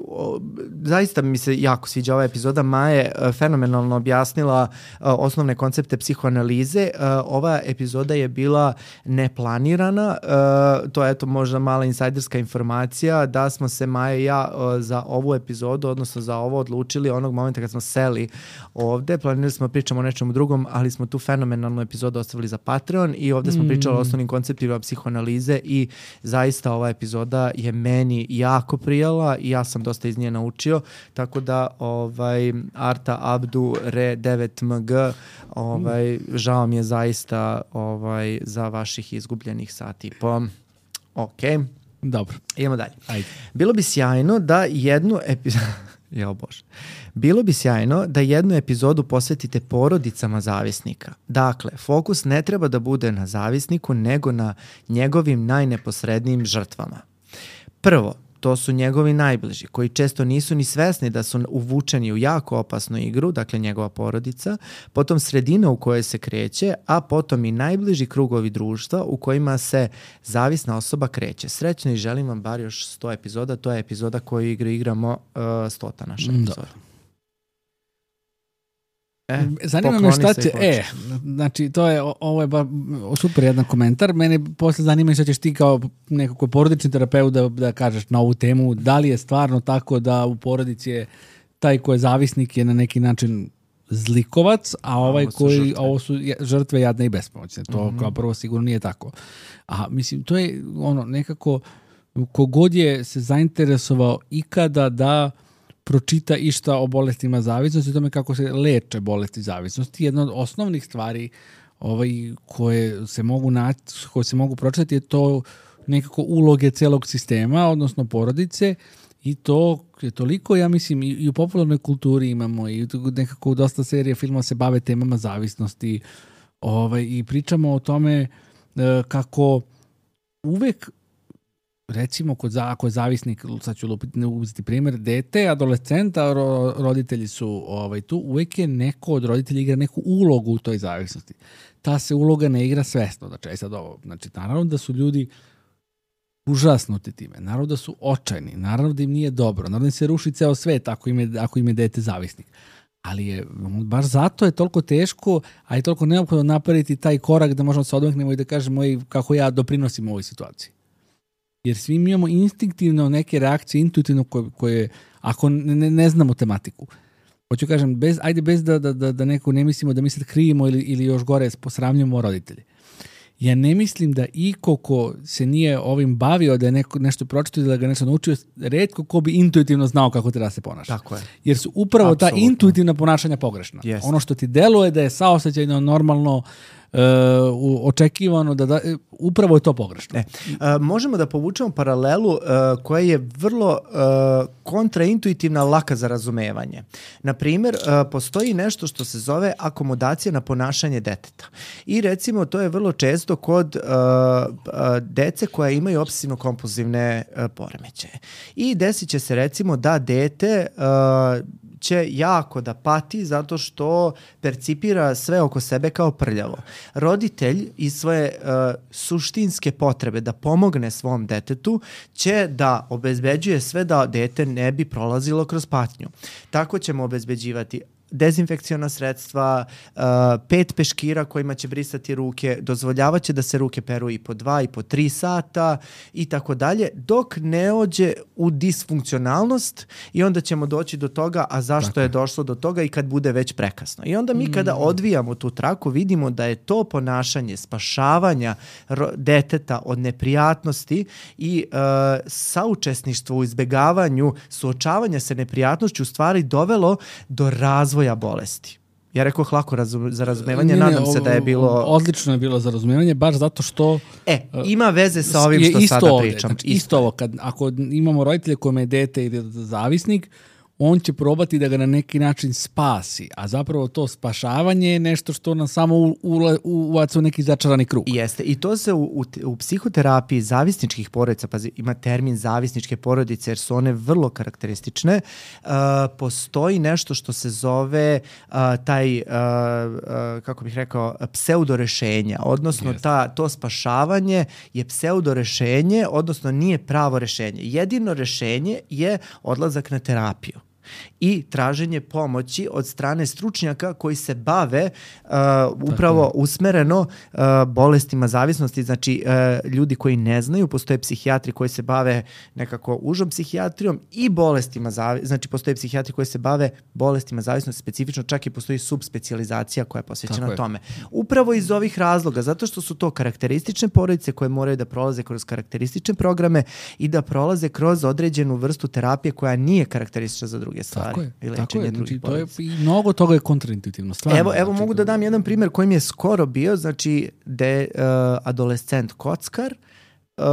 o, zaista mi se jako sviđa ova epizoda. Maja je uh, fenomenalno objasnila uh, osnovne koncepte psihoanalize. Uh, ova epizoda je bila neplanirana. Uh, to je eto možda mala insajderska informacija da smo se Maja i ja uh, za ovu epizodu, odnosno za ovo odlučili onog momenta kad smo seli ovde. Planirali smo pričamo o nečemu drugom, ali smo tu fenomenalnu epizodu ostavili za Patreon i ovde smo mm. pričali o osnovnim konceptima psihoanalize i zaista ova epizoda je meni jako prijala i ja sam dosta dosta iz nje naučio, tako da ovaj, Arta Abdu Re devet M G, ovaj, žao mi je zaista ovaj, za vaših izgubljenih sati. Po, ok. Dobro. Idemo dalje. Ajde. Bilo bi sjajno da jednu epizodu... Jo bože. Bilo bi sjajno da jednu epizodu posvetite porodicama zavisnika. Dakle, fokus ne treba da bude na zavisniku, nego na njegovim najneposrednijim žrtvama. Prvo, to su njegovi najbliži, koji često nisu ni svesni da su uvučeni u jako opasnu igru, dakle njegova porodica, potom sredina u kojoj se kreće, a potom i najbliži krugovi društva u kojima se zavisna osoba kreće. Srećno i želim vam bar još sto epizoda, to je epizoda koju igru igramo uh, stota naša epizoda. E, zanima me šta će, e, znači to je, ovo je ba, super jedan komentar, mene posle zanima šta ćeš ti kao nekako porodični terapeut da, da kažeš na ovu temu, da li je stvarno tako da u porodici je taj ko je zavisnik je na neki način zlikovac, a ovaj a koji, žrtve. ovo su žrtve jadne i bespomoćne, to mm-hmm. kao prvo sigurno nije tako. A mislim, to je ono nekako, kogod je se zainteresovao ikada da pročita išta o bolestima zavisnosti, o tome kako se leče bolesti zavisnosti. Jedna od osnovnih stvari ovaj, koje se mogu naći, koje se mogu pročitati je to nekako uloge celog sistema, odnosno porodice, i to je toliko, ja mislim, i u popularnoj kulturi imamo i nekako dosta serija filmova se bave temama zavisnosti ovaj, i pričamo o tome kako uvek recimo, kod za, ako je zavisnik, sad ću lupiti, uzeti primjer, dete, adolescenta, ro, roditelji su ovaj, tu, uvijek je neko od roditelja igra neku ulogu u toj zavisnosti. Ta se uloga ne igra svesno. Znači, aj sad ovo, znači, naravno da su ljudi užasnuti time, naravno da su očajni, naravno da im nije dobro, naravno da se ruši ceo svet ako im je, ako im je dete zavisnik. Ali je, baš zato je toliko teško, a je toliko neophodno napraviti taj korak da možemo se odmaknemo i da kažemo kako ja doprinosim ovoj situaciji. Jer svi mi imamo instinktivno neke reakcije, intuitivno koje, koje ako ne, ne znamo tematiku. Hoću kažem, bez, ajde bez da, da, da neko ne mislimo da mi se krivimo ili, ili još gore posramljamo roditelji. Ja ne mislim da iko ko se nije ovim bavio, da je neko, nešto pročitao ili da ga nešto naučio, retko ko bi intuitivno znao kako treba da se ponaša. Tako je. Jer su upravo Absolutno. Ta intuitivna ponašanja pogrešna. Yes. Ono što ti deluje da je saosećajno, normalno, Uh, očekivano da, da upravo je to pogrešno. Ne. Uh, možemo da povučemo paralelu uh, koja je vrlo uh, kontraintuitivna, laka za razumevanje. Na primjer, uh, postoji nešto što se zove akomodacija na ponašanje deteta. I recimo to je vrlo često kod uh, uh, dece koja imaju obsesivno-kompulzivne uh, poremećaje. I desit će se recimo da dete uh, će jako da pati zato što percipira sve oko sebe kao prljavo. Roditelj iz svoje uh, suštinske potrebe da pomogne svom detetu će da obezbeđuje sve da dete ne bi prolazilo kroz patnju. Tako ćemo obezbeđivati dezinfekciona sredstva, uh, pet peškira kojima će brisati ruke, dozvoljavaće da se ruke peru i po dva i po tri sata i tako dalje, dok ne ođe u disfunkcionalnost i onda ćemo doći do toga, a zašto dakle. Je došlo do toga i kad bude već prekasno. I onda mi mm. kada odvijamo tu traku vidimo da je to ponašanje spašavanja ro- deteta od neprijatnosti i uh, saučesništvo u izbegavanju suočavanja sa neprijatnošću u stvari dovelo do razvoja bolesti. Ja rekao lako razum, za razumevanje, ne, ne, nadam se da je bilo... Odlično je bilo za razumevanje, baš zato što... E, ima veze sa ovim što sada ovdje, pričam. Znači, isto ovo, kad, ako imamo roditelje kojima je dete ili zavisnik, on će probati da ga na neki način spasi, a zapravo to spašavanje je nešto što nam samo uvaca u neki začarani krug. Jeste, i to se u, u, u psihoterapiji zavisničkih porodica, pazi, ima termin zavisničke porodice jer su one vrlo karakteristične, uh, postoji nešto što se zove uh, taj, uh, uh, kako bih rekao, pseudorešenja, odnosno ta, to spašavanje je pseudorešenje, odnosno nije pravo rešenje. Jedino rešenje je odlazak na terapiju. i traženje pomoći od strane stručnjaka koji se bave uh, upravo usmereno uh, bolestima zavisnosti. Znači, uh, ljudi koji ne znaju, postoje psihijatri koji se bave nekako užom psihijatrijom i bolestima zavisnosti. Znači, postoje psihijatri koji se bave bolestima zavisnosti specifično, čak i postoji subspecijalizacija koja je posvećena Tako tome. Je. Upravo iz ovih razloga, zato što su to karakteristične porodice koje moraju da prolaze kroz karakteristične programe i da prolaze kroz određenu vrstu terapije koja nije karakteristična za druge stvari. Tako je, i tako je. Znači, to je, porodica. I mnogo toga je kontraintuitivno. Stvarno, Evo, evo znači, mogu da dam jedan primjer koji mi je skoro bio, znači de uh, adolescent kockar uh,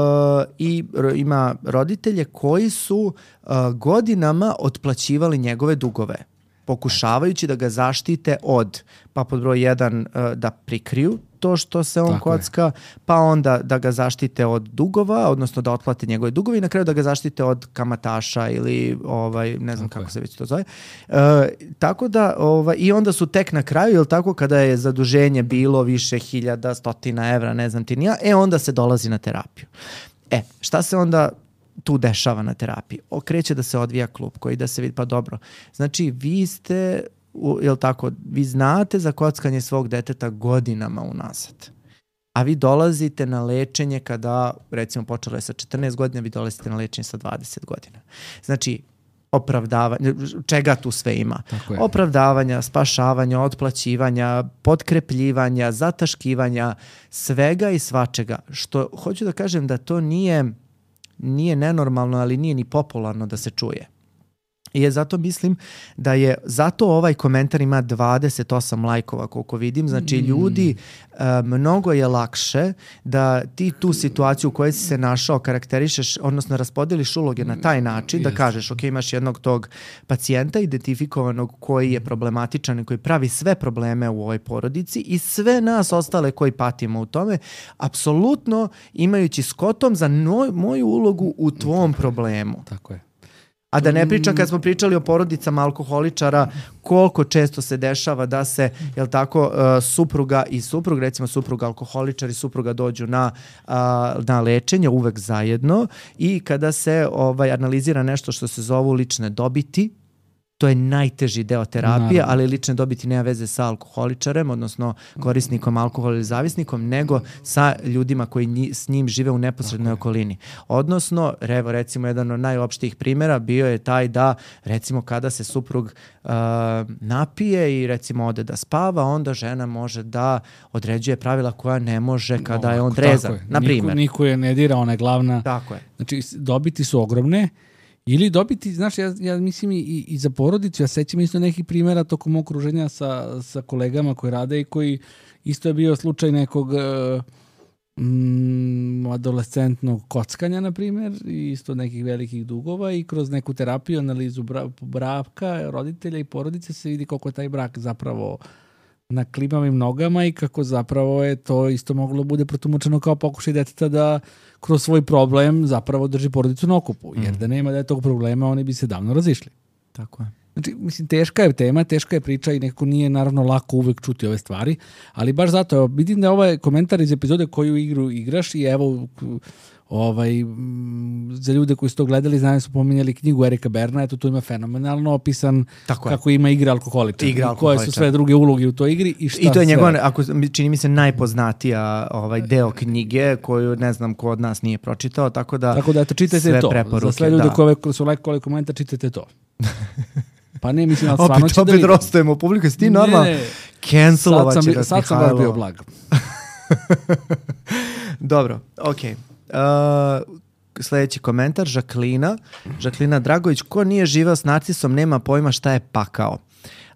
i ro, ima roditelje koji su uh, godinama otplaćivali njegove dugove, pokušavajući da ga zaštite od, pa pod broj jedan uh, da prikriju to što se on Tako kocka, je. Pa onda da ga zaštite od dugova, odnosno da otplate njegove dugove i na kraju da ga zaštite od kamataša ili ovaj ne znam tako kako je. se već to zove. E, tako da ovaj, i onda su tek na kraju, jel tako, kada je zaduženje bilo više hiljada, stotina evra, ne znam ti ni ja, e onda se dolazi na terapiju. E, šta se onda tu dešava na terapiji? Okreće da se odvija klupko i da se vidi, pa dobro. Znači, vi ste U, jel tako, vi znate za kockanje svog deteta godinama unazad, a vi dolazite na lečenje kada, recimo, počelo je sa četrnaest godina, vi dolazite na lečenje sa dvadeset godina. Znači, opravdavanje, čega tu sve ima? Opravdavanja, spašavanja, otplaćivanja, potkrepljivanja, zataškivanja, svega i svačega. Što hoću da kažem da to nije, nije nenormalno, ali nije ni popularno da se čuje. I je zato mislim da je, zato ovaj komentar ima dvadeset osam lajkova koliko vidim, znači ljudi, uh, mnogo je lakše da ti tu situaciju u kojoj si se našao karakterišeš, odnosno raspodeliš uloge na taj način, da kažeš, ok, imaš jednog tog pacijenta identifikovanog koji je problematičan i koji pravi sve probleme u ovoj porodici i sve nas ostale koji patimo u tome, apsolutno imajući skotom za no, moju ulogu u tvom problemu. Tako je. A da ne pričam kad smo pričali o porodicama alkoholičara, koliko često se dešava da se, jel tako, uh, supruga i suprug, recimo supruga alkoholičar i supruga dođu na, uh, na lečenje uvek zajedno i kada se ovaj, analizira nešto što se zovu lične dobiti, to je najteži deo terapije, ali lične dobiti nema veze sa alkoholičarem, odnosno korisnikom alkohola ili zavisnikom, nego sa ljudima koji nji, s njim žive u neposrednoj okolini. Odnosno, evo recimo jedan od najopštijih primjera bio je taj da recimo kada se suprug uh, napije i recimo ode da spava, onda žena može da određuje pravila koja ne može kada je on trezan. Na primjer. Niko, niko je ne dira, ona je glavna. Tako je. Znači, dobiti su ogromne. Ili dobiti, znaš, ja, ja mislim i, i za porodicu, ja sećam isto nekih primjera tokom okruženja sa, sa kolegama koji rade i koji isto je bio slučaj nekog mm, adolescentnog kockanja, na primjer, i isto nekih velikih dugova i kroz neku terapiju, analizu bra, braka, roditelja i porodice se vidi koliko je taj brak zapravo na klimavim nogama i kako zapravo je to isto moglo bude protumačeno kao pokušaj deteta da kroz svoj problem zapravo drži porodicu na okupu. Jer da nema da je tog problema, oni bi se davno razišli. Tako je. Znači, mislim, teška je tema, teška je priča i nekako nije naravno lako uvek čuti ove stvari, ali baš zato, evo, vidim da ovaj komentar iz epizode koju igru igraš i evo, ovaj, za ljude koji su to gledali, znaju su pominjali knjigu Erika Berna, eto tu ima fenomenalno opisan Tako kako je. ima igra alkoholičar, igra alkoholičar. Koje su sve druge uloge u toj igri i šta I to je njegov, sve... ako čini mi se, najpoznatija ovaj deo knjige koju ne znam ko od nas nije pročitao, tako da Tako da eto, čitajte to. Preporuke, za sve ljude da. koji su lajkovali komentar, čitajte to. Pa ne, mislim, ali stvarno opet, opet da rostujemo publiku, si ti normalno cancelovat će nas Sad sam bar bio blag. Dobro, okej. Okay. Uh, sljedeći komentar, Žaklina. Žaklina Dragović, ko nije živeo s narcisom, nema pojma šta je pakao.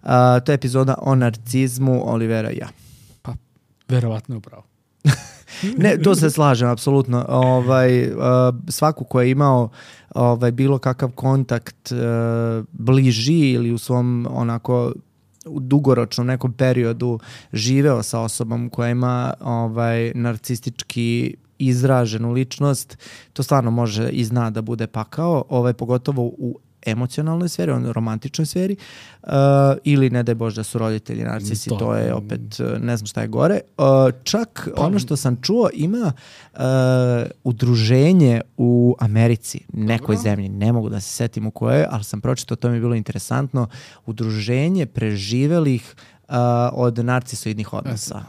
Uh, to je epizoda o narcizmu Olivera i ja. Pa, verovatno je upravo. Ne, to se slažem, apsolutno. Ovaj, uh, svaku ko je imao ovaj, bilo kakav kontakt uh, bliži ili u svom onako u dugoročnom nekom periodu živeo sa osobom koja ima ovaj, narcistički izraženu ličnost, to stvarno može i zna da bude pakao, ovaj, pogotovo u emocionalnoj sferi, on romantičnoj sferi, uh, ili ne daj Bože da su roditelji narcisi, to, to je opet, ne znam šta je gore. Uh, čak pa, ono što sam čuo, ima uh, udruženje u Americi, nekoj dobro. zemlji, ne mogu da se setim u kojoj, ali sam pročitao, to mi je bilo interesantno, udruženje preživelih uh, od narcisoidnih odnosa.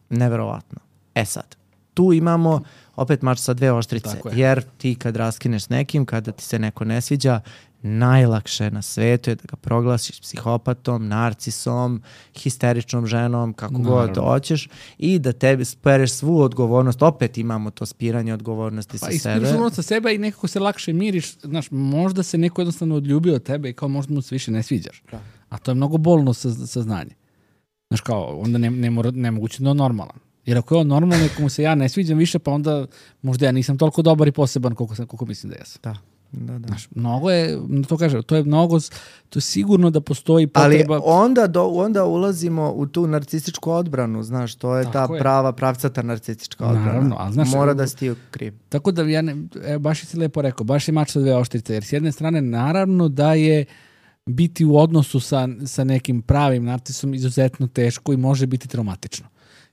Neverovatno. E sad, tu imamo opet mač sa dve oštrice, jer ti kad raskineš s nekim, kada ti se neko ne sviđa, najlakše na svetu je da ga proglasiš psihopatom, narcisom, histeričnom ženom, kako Naravno. god hoćeš, i da tebi spereš svu odgovornost. Opet imamo to spiranje odgovornosti pa sa sebe. Pa ispiraš odgovornost sa sebe i nekako se lakše miriš. Znaš, možda se neko jednostavno odljubio od tebe i kao možda mu se više ne sviđaš. Da. A to je mnogo bolno saznanje. Znaš, kao, onda ne, ne mora, nemoguće da je normalan. Jer ako je on normalno, nekomu se ja ne sviđam više, pa onda možda ja nisam toliko dobar i poseban koliko, sam, koliko mislim da jesam. Da. Da, da. Znaš, mnogo je, to kaže, to je mnogo, to je sigurno da postoji potreba. Ali onda, do, onda ulazimo u tu narcističku odbranu, znaš, to je tako ta je. prava, pravcata narcistička odbrana. Naravno, ali znaš, mora da si ti kriv. Tako da ja ne, e, baš si lepo rekao, baš je mač sa dve oštrice, jer s jedne strane naravno da je biti u odnosu sa, sa nekim pravim narcisom izuzetno teško i može biti traumatično.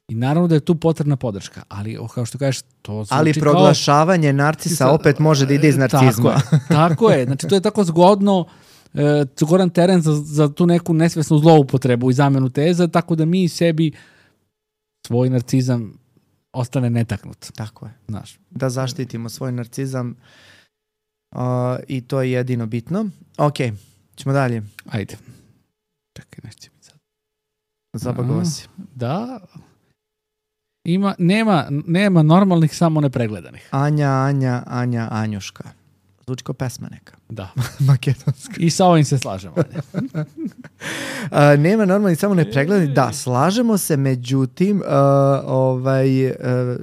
I naravno da je tu potrebna podrška, ali kao što kažeš, to zvuči ali proglašavanje kao narcisa opet može da ide iz narcizma. Tako je, tako je. Znači to je tako zgodno, e, zgodan teren za, za tu neku nesvesnu zloupotrebu i zamenu teza, tako da mi sebi svoj narcizam ostane netaknut. Tako je. Znaš. Da zaštitimo svoj narcizam uh, i to je jedino bitno. Ok, ćemo dalje. Ajde. Čekaj, nešto mi sad. Zabagovo si. Da. Ima, nema, nema normalnih, samo nepregledanih. Anja, Anja, Anja, Anjuška. Zvuči kao pesma neka. Da. Makedonska. I sa ovim se slažemo. A, nema normalnih, samo nepregledanih. Da, slažemo se, međutim, uh, ovaj, uh,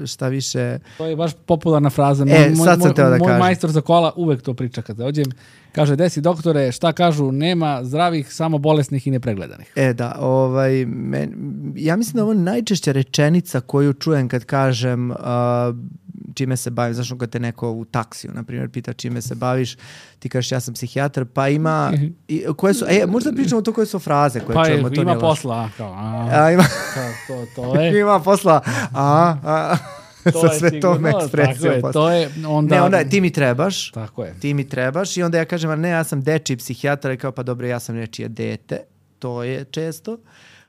šta više... To je baš popularna fraza. Moj, e, sad sam teo da kažem. Moj majstor za kola uvek to priča kad dođem. Kaže, desi doktore, šta kažu, nema zdravih, samo bolesnih i nepregledanih. E da, ovaj, men, ja mislim da ovo je najčešća rečenica koju čujem kad kažem uh, čime se bavim. Znaš, kad te neko u taksiju, na primjer, pita čime se baviš, ti kažeš ja sam psihijatar, pa ima... I, koje su, e, možda pričamo to koje su fraze koje pa čujemo. Pa ima posla. Kao, a, a, ima, kao, to, to je. Ima posla. A, a. To sa sve tom ekspresijom. To je, onda... Ne, onda ti mi trebaš. Tako je. Ti mi trebaš i onda ja kažem, a ne, ja sam dečiji psihijatar i kao, pa dobro, ja sam nečije dete. To je često.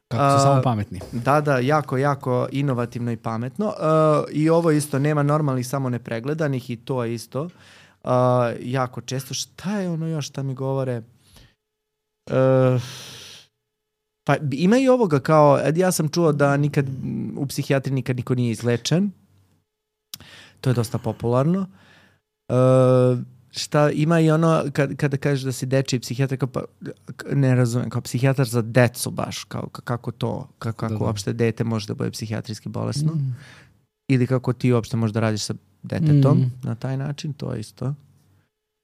Kako su samo pametni. Da, da, jako, jako inovativno i pametno. Uh, I ovo isto, nema normalnih, samo nepregledanih i to je isto. Uh, jako često. Šta je ono još šta mi govore? Uh, pa ima i ovoga kao, ja sam čuo da nikad u psihijatriji nikad niko nije izlečen. To je dosta popularno. Uh, šta ima i ono kad, kada kažeš da si dečiji psihijatar, kao, pa, ne razumijem, kao psihijatar za decu baš, kao, kako to, kako, kako da, da. uopšte dete može da bude psihijatrijski bolesno. Mm. Ili kako ti uopšte možeš da radiš sa detetom mm. na taj način, to je isto.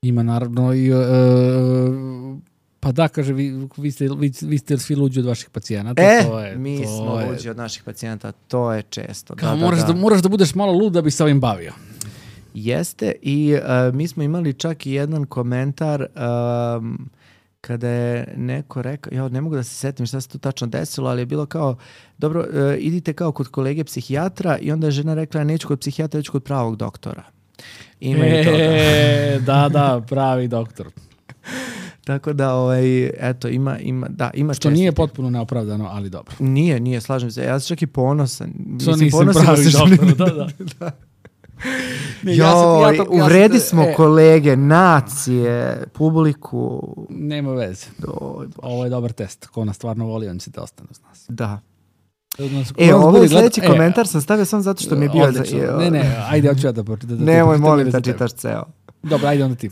Ima naravno i... Uh, pa da, kaže, vi, vi, ste, vi, vi ste svi luđi od vaših pacijenata. E, to je, mi to smo je... luđi od naših pacijenata, to je često. Kao, da, moraš, da, da. Da, moraš da budeš malo lud da bi se ovim bavio. Jeste i uh, mi smo imali čak i jedan komentar um, kada je neko rekao, ja ne mogu da se setim šta se tu tačno desilo, ali je bilo kao, dobro, uh, idite kao kod kolege psihijatra i onda je žena rekla, ja neću kod psihijatra, neću kod pravog doktora. Ima e, i toga. Da, da, pravi doktor. Tako da, ovaj, eto, ima, ima, da, ima što česti. Nije potpuno neopravdano, ali dobro. Nije, nije, slažem se. Ja sam čak i ponosan. Što nisam pravi doktor, da, da. da. Ne, jo, ja sam, ja to, uvredi ja sam, smo e, kolege, nacije, publiku. Nema veze. Doj, Ovo je dobar test. Ko nas stvarno voli, on će da ostane uz nas. Da. Nas, e, ovo je sljedeći gleda... komentar e, sam stavio samo zato što mi je bio... Odlično. Za, ne, ne, ajde, hoću ja da pročitam. Da, da, Nemoj, molim da čitaš ceo. Dobro, ajde onda ti.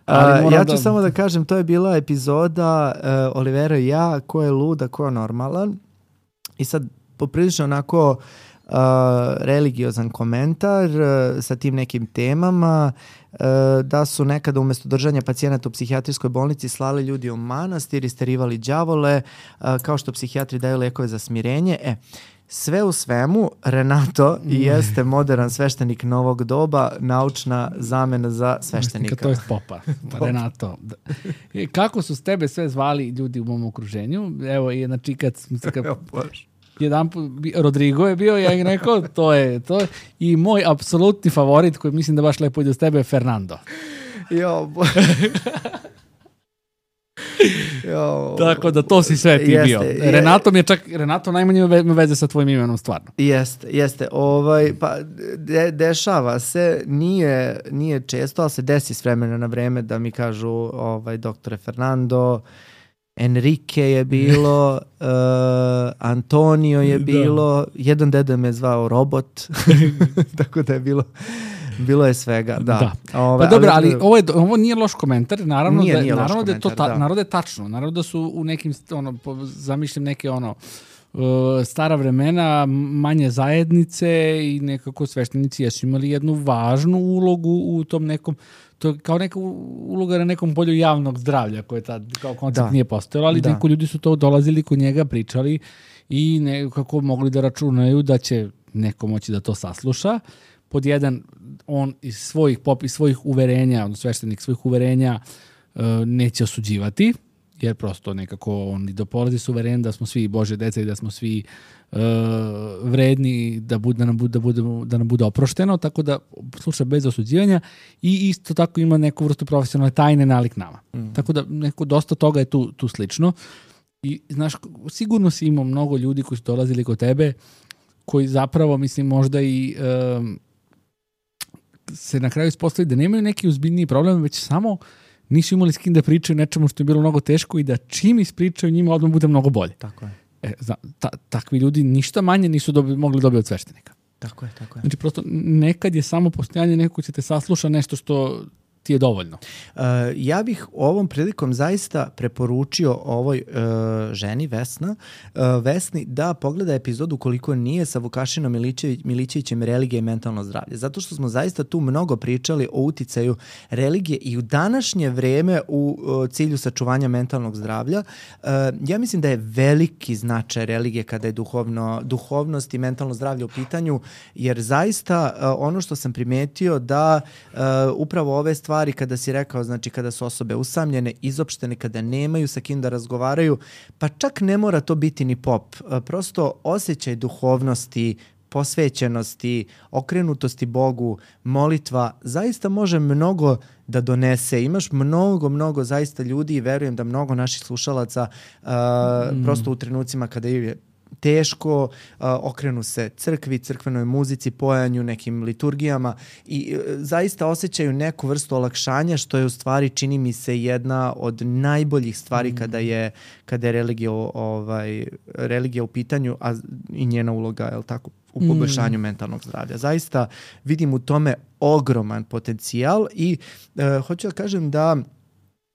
Ali uh, ja ću da... samo da kažem, to je bila epizoda uh, Olivera i ja, ko je lud, a ko je normalan. I sad poprilično onako uh, religiozan komentar uh, sa tim nekim temama, uh, da su nekada umjesto držanja pacijenata u psihijatrijskoj bolnici slali ljudi u manastir, isterivali đavole, uh, kao što psihijatri daju lekove za smirenje. E, sve u svemu, Renato jeste modern sveštenik novog doba, naučna zamena za sveštenika. To je popa, Renato. Kako su s tebe sve zvali ljudi u mom okruženju? Evo, i znači kad smo se... Kad... Jedan put, Rodrigo je bio, ja im rekao, to je, to je. I moj apsolutni favorit, koji mislim da baš lepo ide s tebe, je Fernando. Jo, bo... jo. Tako da to si sve ti jeste, bio. Renato mi je čak, Renato najmanje ima veze sa tvojim imenom, stvarno. Jeste, jeste. Ovaj, pa, de, dešava se, nije, nije često, ali se desi s vremena na vreme da mi kažu ovaj, doktore Fernando, Enrique je bilo, uh, Antonio je bilo, da. Jedan deda me zvao robot, tako da je bilo, bilo je svega, da. da. Ove, pa dobro, ali, ali ovo, je, ovo nije loš komentar, naravno, nije, da, nije naravno, loš da, je to komentar, ta, da. naravno da je tačno, naravno da su u nekim, ono, zamišljam neke ono, uh, stara vremena, manje zajednice i nekako sveštenici jesu imali jednu važnu ulogu u tom nekom, to je kao neka uloga na nekom polju javnog zdravlja koje tad kao koncept da. Nije postojalo, ali da. Neko ljudi su to dolazili kod njega, pričali i nekako mogli da računaju da će neko moći da to sasluša. Pod jedan, on iz svojih pop, iz svojih uverenja, on sveštenik svojih uverenja uh, neće osuđivati, jer prosto nekako on i dopolazi s uverenjem da smo svi Božje deca i da smo svi uh, vredni da, bud, da, nam bude, da, budemo, da nam bude oprošteno, tako da sluša bez osuđivanja i isto tako ima neku vrstu profesionalne tajne nalik nama. Mm. Tako da neko, dosta toga je tu, tu slično. I znaš, sigurno si imao mnogo ljudi koji su dolazili kod tebe, koji zapravo, mislim, možda i um, se na kraju ispostavi da nemaju neki ozbiljniji problem, već samo nisu imali s kim da pričaju nečemu što je bilo mnogo teško i da čim ispričaju njima odmah bude mnogo bolje. Tako je. E, zna, ta, takvi ljudi ništa manje nisu dobi, mogli dobiti od sveštenika. Tako je, tako je. Znači, prosto nekad je samo postojanje neko ko će te sasluša nešto što ti je dovoljno. Uh, ja bih ovom prilikom zaista preporučio ovoj uh, ženi Vesna, uh, Vesni da pogleda epizodu koliko nije sa Vukašinom Milićević, Milićevićem religija i mentalno zdravlje. Zato što smo zaista tu mnogo pričali o uticaju religije i u današnje vreme u uh, cilju sačuvanja mentalnog zdravlja. Uh, ja mislim da je veliki značaj religije kada je duhovno, duhovnost i mentalno zdravlje u pitanju, jer zaista uh, ono što sam primetio da uh, upravo ove stvari stvari kada si rekao, znači kada su osobe usamljene, izopštene, kada nemaju sa kim da razgovaraju, pa čak ne mora to biti ni pop. Prosto osjećaj duhovnosti, posvećenosti, okrenutosti Bogu, molitva, zaista može mnogo da donese. Imaš mnogo, mnogo zaista ljudi i verujem da mnogo naših slušalaca uh, mm. prosto u trenucima kada je teško, uh, okrenu se crkvi, crkvenoj muzici, pojanju, nekim liturgijama i uh, zaista osjećaju neku vrstu olakšanja, što je u stvari, čini mi se, jedna od najboljih stvari mm. kada je kada je religija, ovaj, religija u pitanju, a i njena uloga, je li tako, u poboljšanju mm. mentalnog zdravlja. Zaista vidim u tome ogroman potencijal i uh, hoću da kažem da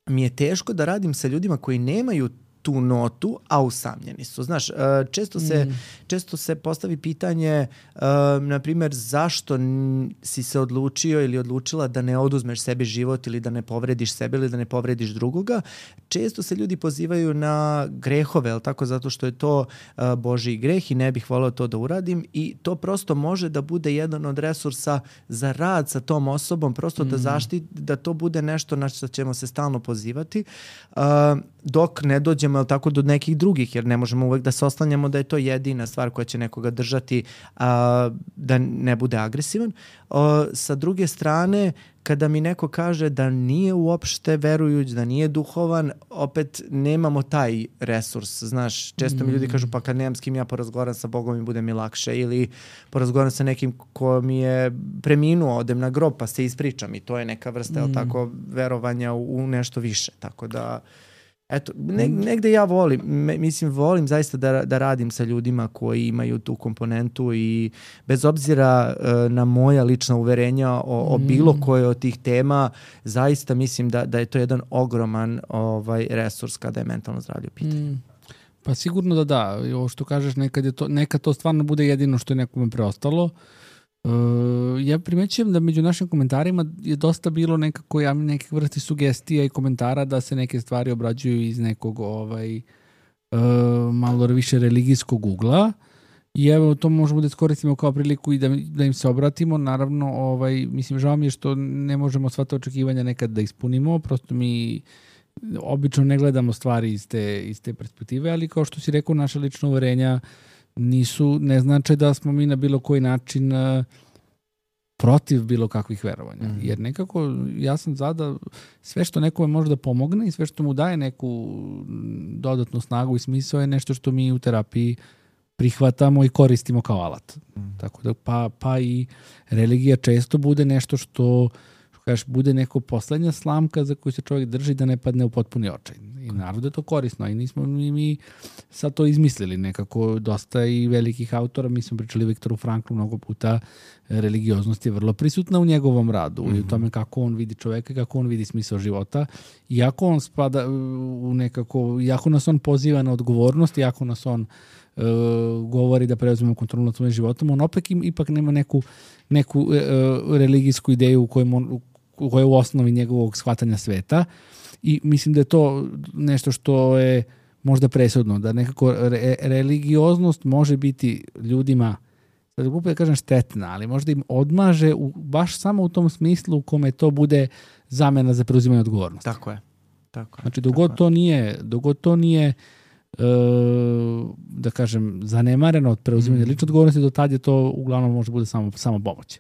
mi je teško da radim sa ljudima koji nemaju tu notu, a usamljeni su. Znaš, često se, mm. često se postavi pitanje, uh, na primjer, zašto n- si se odlučio ili odlučila da ne oduzmeš sebi život ili da ne povrediš sebe ili da ne povrediš drugoga. Često se ljudi pozivaju na grehove, jel tako, zato što je to uh, Božji greh i ne bih voleo to da uradim i to prosto može da bude jedan od resursa za rad sa tom osobom, prosto mm. da zaštiti, da to bude nešto na što ćemo se stalno pozivati, uh, dok ne dođemo, jel tako, do nekih drugih, jer ne možemo uvek da se oslanjamo da je to jedina stvar koja će nekoga držati a, da ne bude agresivan. A, sa druge strane, kada mi neko kaže da nije uopšte verujuć, da nije duhovan, opet nemamo taj resurs. Znaš, često mi ljudi kažu, pa kad nemam s kim ja porazgovaram sa Bogom i bude mi lakše, ili porazgovaram sa nekim ko mi je preminuo, odem na grob pa se ispričam i to je neka vrsta, jel tako, verovanja u, u nešto više. Tako da eto, ne, negde ja volim, me, mislim, volim zaista da, da radim sa ljudima koji imaju tu komponentu i bez obzira uh, na moja lična uverenja o, o bilo koje od tih tema, zaista mislim da, da je to jedan ogroman ovaj, resurs kada je mentalno zdravlje u pitanju. Mm. Pa sigurno da da, ovo što kažeš, nekad, je to, nekad to stvarno bude jedino što je nekome preostalo. Uh, ja primećujem da među našim komentarima je dosta bilo nekako ja, nekih vrsti sugestija i komentara da se neke stvari obrađuju iz nekog ovaj, uh, malo više religijskog ugla I evo, to možemo da iskoristimo kao priliku i da, da im se obratimo. Naravno, ovaj, mislim, žao mi je što ne možemo sva ta očekivanja nekad da ispunimo, prosto mi obično ne gledamo stvari iz te, iz te perspektive, ali kao što si rekao, naša lična uverenja nisu, ne znači da smo mi na bilo koji način uh, protiv bilo kakvih verovanja. Mm. Jer nekako ja sam za da sve što nekome može da pomogne i sve što mu daje neku dodatnu snagu i smisao je nešto što mi u terapiji prihvatamo i koristimo kao alat. Mm. Tako da pa, pa i religija često bude nešto što kažeš, bude neko poslednja slamka za koju se čovjek drži da ne padne u potpuni očaj. I naravno da je to korisno. I nismo mi, mi sad to izmislili nekako. Dosta i velikih autora, mi smo pričali Viktoru Franklu mnogo puta, religioznost je vrlo prisutna u njegovom radu mm-hmm. i u tome kako on vidi čoveka, kako on vidi smisao života. Iako on spada u nekako, iako nas on poziva na odgovornost, iako nas on uh, govori da preuzmemo kontrolu nad svojim životom, on opet im, ipak nema neku, neku uh, religijsku ideju u kojoj on koja je u osnovi njegovog shvatanja sveta i mislim da je to nešto što je možda presudno, da nekako re, religioznost može biti ljudima, sad glupo da kažem štetna, ali možda im odmaže u, baš samo u tom smislu u kome to bude zamena za preuzimanje odgovornosti. Tako je. Tako je. Znači dogod to nije, dogod to nije e, da kažem zanemareno od preuzimanja mm. lične odgovornosti, do tad je to uglavnom može bude samo, samo pomoć.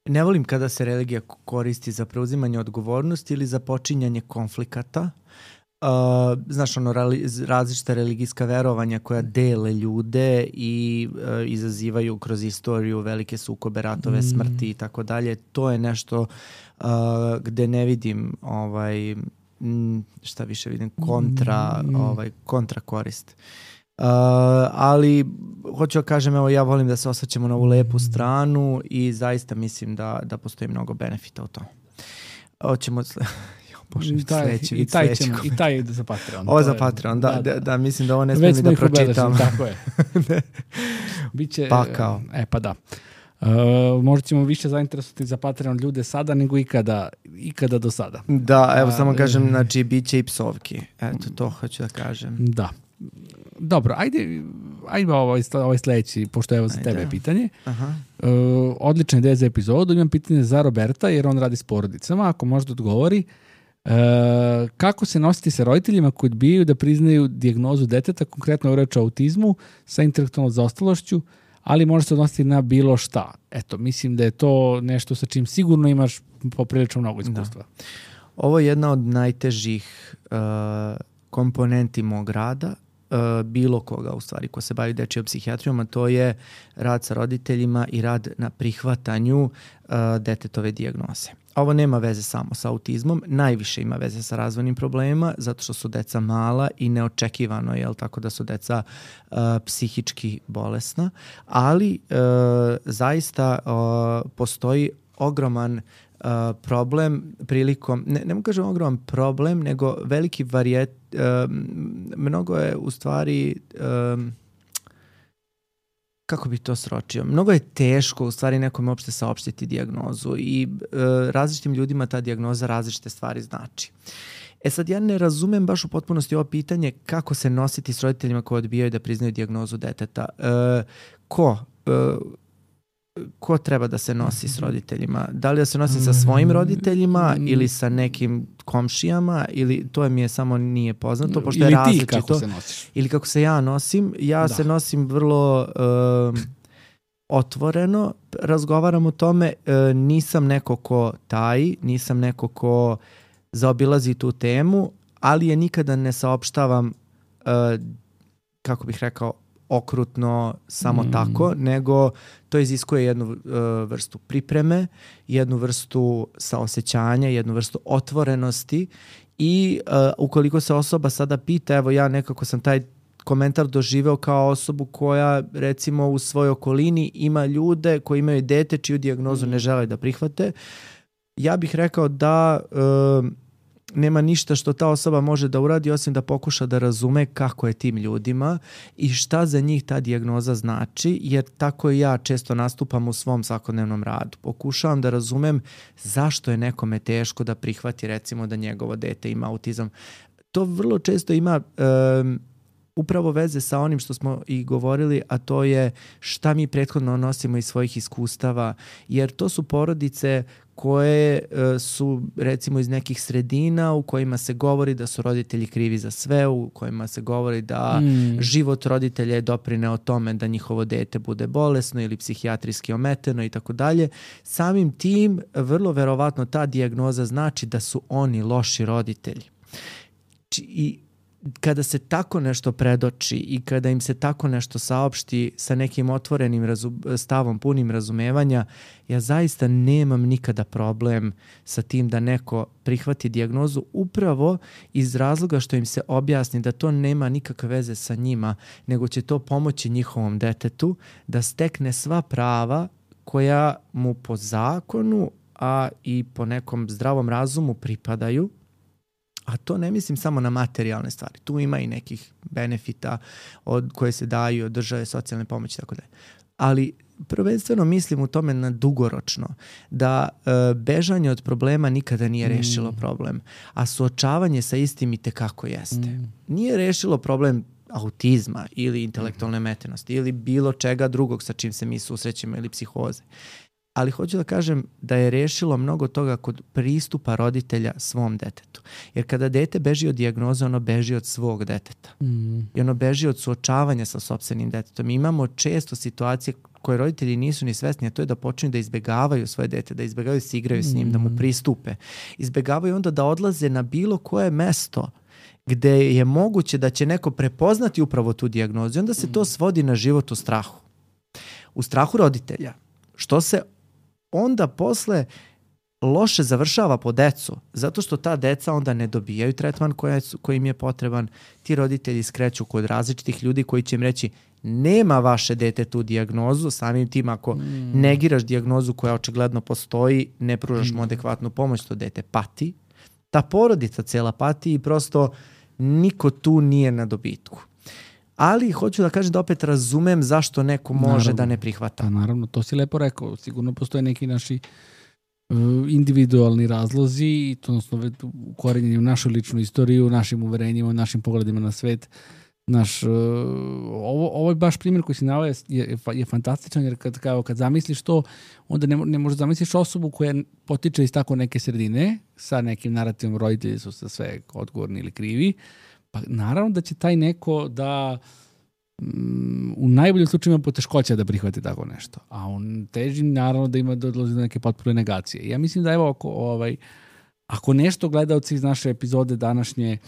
Ne volim kada se religija koristi za preuzimanje odgovornosti ili za počinjanje konflikata. Uh, znaš, ono, različita religijska verovanja koja dele ljude i uh, izazivaju kroz istoriju velike sukobe, ratove, mm. smrti i tako dalje. To je nešto uh, gde ne vidim ovaj, šta više vidim, kontra, mm. ovaj, kontra korist. Uh, ali hoću da kažem, evo ja volim da se osvrćemo na ovu lepu stranu i zaista mislim da, da postoji mnogo benefita u tom. Hoćemo Bože, I taj, sledeći, i taj ćemo, i taj ide za Patreon. Ovo za Patreon, da, da, da, da, mislim da ovo ne smijem da pročitam. Tako je. Biće, Pakao. E pa da. Uh, možda ćemo više zainteresovati za Patreon ljude sada nego ikada, ikada do sada. Da, evo A, samo kažem, znači bit će i psovki. Eto, to hoću da kažem. Da. Dobro, ajde, ajde ovaj, ovaj sledeći, pošto je evo za ajde. Tebe pitanje. Aha. Uh, odlična ideja za epizodu. Imam pitanje za Roberta, jer on radi s porodicama. Ako možda odgovori, uh, kako se nositi sa roditeljima koji odbijaju da priznaju dijagnozu deteta, konkretno je reč o autizmu sa intelektualnom zaostalošću, ali može se odnositi na bilo šta. Eto, mislim da je to nešto sa čim sigurno imaš poprilično mnogo iskustva. Da. Ovo je jedna od najtežih uh, komponenti mog rada, uh, bilo koga u stvari ko se bavi dečijom psihijatrijom, a to je rad sa roditeljima i rad na prihvatanju uh, detetove dijagnoze. Ovo nema veze samo sa autizmom, najviše ima veze sa razvojnim problemima, zato što su deca mala i neočekivano je, tako da su deca uh, psihički bolesna, ali uh, zaista uh, postoji ogroman Uh, problem prilikom, ne, ne mogu kažem ogroman problem, nego veliki varijet, uh, mnogo je u stvari, um, kako bi to sročio, mnogo je teško u stvari nekome uopšte saopštiti dijagnozu i uh, različitim ljudima ta dijagnoza različite stvari znači. E sad, ja ne razumem baš u potpunosti ovo pitanje kako se nositi s roditeljima koji odbijaju da priznaju dijagnozu deteta. Uh, ko? Uh, ko treba da se nosi s roditeljima? Da li da se nosi sa svojim roditeljima ili sa nekim komšijama, ili to mi je samo nije poznato, pošto ili je različito. Ili ti kako se nosiš? Ili kako se ja nosim. Ja da. se nosim vrlo uh, otvoreno, razgovaram o tome, uh, nisam neko ko taji, nisam neko ko zaobilazi tu temu, ali je nikada ne saopštavam, uh, kako bih rekao, okrutno samo mm. tako, nego to iziskuje jednu uh, vrstu pripreme, jednu vrstu saosećanja, jednu vrstu otvorenosti i uh, ukoliko se osoba sada pita, evo ja nekako sam taj komentar doživeo kao osobu koja recimo u svojoj okolini ima ljude koji imaju dete čiju dijagnozu mm. ne žele da prihvate, ja bih rekao da uh, nema ništa što ta osoba može da uradi osim da pokuša da razume kako je tim ljudima i šta za njih ta dijagnoza znači, jer tako i ja često nastupam u svom svakodnevnom radu. Pokušavam da razumem zašto je nekome teško da prihvati recimo da njegovo dete ima autizam. To vrlo često ima um, upravo veze sa onim što smo i govorili, a to je šta mi prethodno nosimo iz svojih iskustava, jer to su porodice koje uh, su recimo iz nekih sredina u kojima se govori da su roditelji krivi za sve, u kojima se govori da mm. život roditelja je doprineo tome da njihovo dete bude bolesno ili psihijatrijski ometeno i tako dalje. Samim tim vrlo verovatno ta dijagnoza znači da su oni loši roditelji. I kada se tako nešto predoči i kada im se tako nešto saopšti sa nekim otvorenim razum, stavom, punim razumevanja, ja zaista nemam nikada problem sa tim da neko prihvati dijagnozu upravo iz razloga što im se objasni da to nema nikakve veze sa njima, nego će to pomoći njihovom detetu da stekne sva prava koja mu po zakonu, a i po nekom zdravom razumu pripadaju. A to ne mislim samo na materijalne stvari. Tu ima i nekih benefita od koje se daju od države, socijalne pomoći i tako dalje. Ali prvenstveno mislim u tome na dugoročno, da e, bežanje od problema nikada nije rešilo mm. problem, a suočavanje sa istim i tekako jeste. Mm. Nije rešilo problem autizma ili intelektualne metenosti ili bilo čega drugog sa čim se mi susrećemo ili psihoze. Ali hoću da kažem da je rešilo mnogo toga kod pristupa roditelja svom detetu. Jer kada dete beži od dijagnoze, ono beži od svog deteta. Mm. I ono beži od suočavanja sa sopstvenim detetom. Mi imamo često situacije koje roditelji nisu ni svesni, a to je da počinju da izbegavaju svoje dete, da izbegavaju da se igraju s njim, mm. da mu pristupe. Izbegavaju onda da odlaze na bilo koje mesto gde je moguće da će neko prepoznati upravo tu dijagnozu. I onda se to svodi na život u strahu. U strahu roditelja. Što se onda posle loše završava po decu, zato što ta deca onda ne dobijaju tretman koji, koji im je potreban. Ti roditelji skreću kod različitih ljudi koji će im reći nema vaše dete tu dijagnozu, samim tim ako mm. negiraš dijagnozu koja očigledno postoji, ne pružaš mu adekvatnu pomoć, to dete pati. Ta porodica cela pati i prosto niko tu nije na dobitku. Ali hoću da kažem da opet razumem zašto neko može naravno, da ne prihvata. Pa naravno, to si lepo rekao. Sigurno postoje neki naši uh, individualni razlozi i to odnosno ukorenjeni u našu ličnu istoriju, u našim uverenjima, u našim pogledima na svet. Naš, uh, ovo, ovo je baš primjer koji si naveo je, je, je fantastičan jer kad, kao, kad zamisliš to, onda ne, ne možeš zamisliš osobu koja potiče iz tako neke sredine sa nekim narativom roditelji su sa sve odgovorni ili krivi. Pa naravno da će taj neko da um, u najboljem slučaju ima poteškoća da prihvati tako nešto. A on teži naravno da ima da odlazi do neke potpune negacije. Ja mislim da evo ako, ovaj, ako nešto gledalci iz naše epizode današnje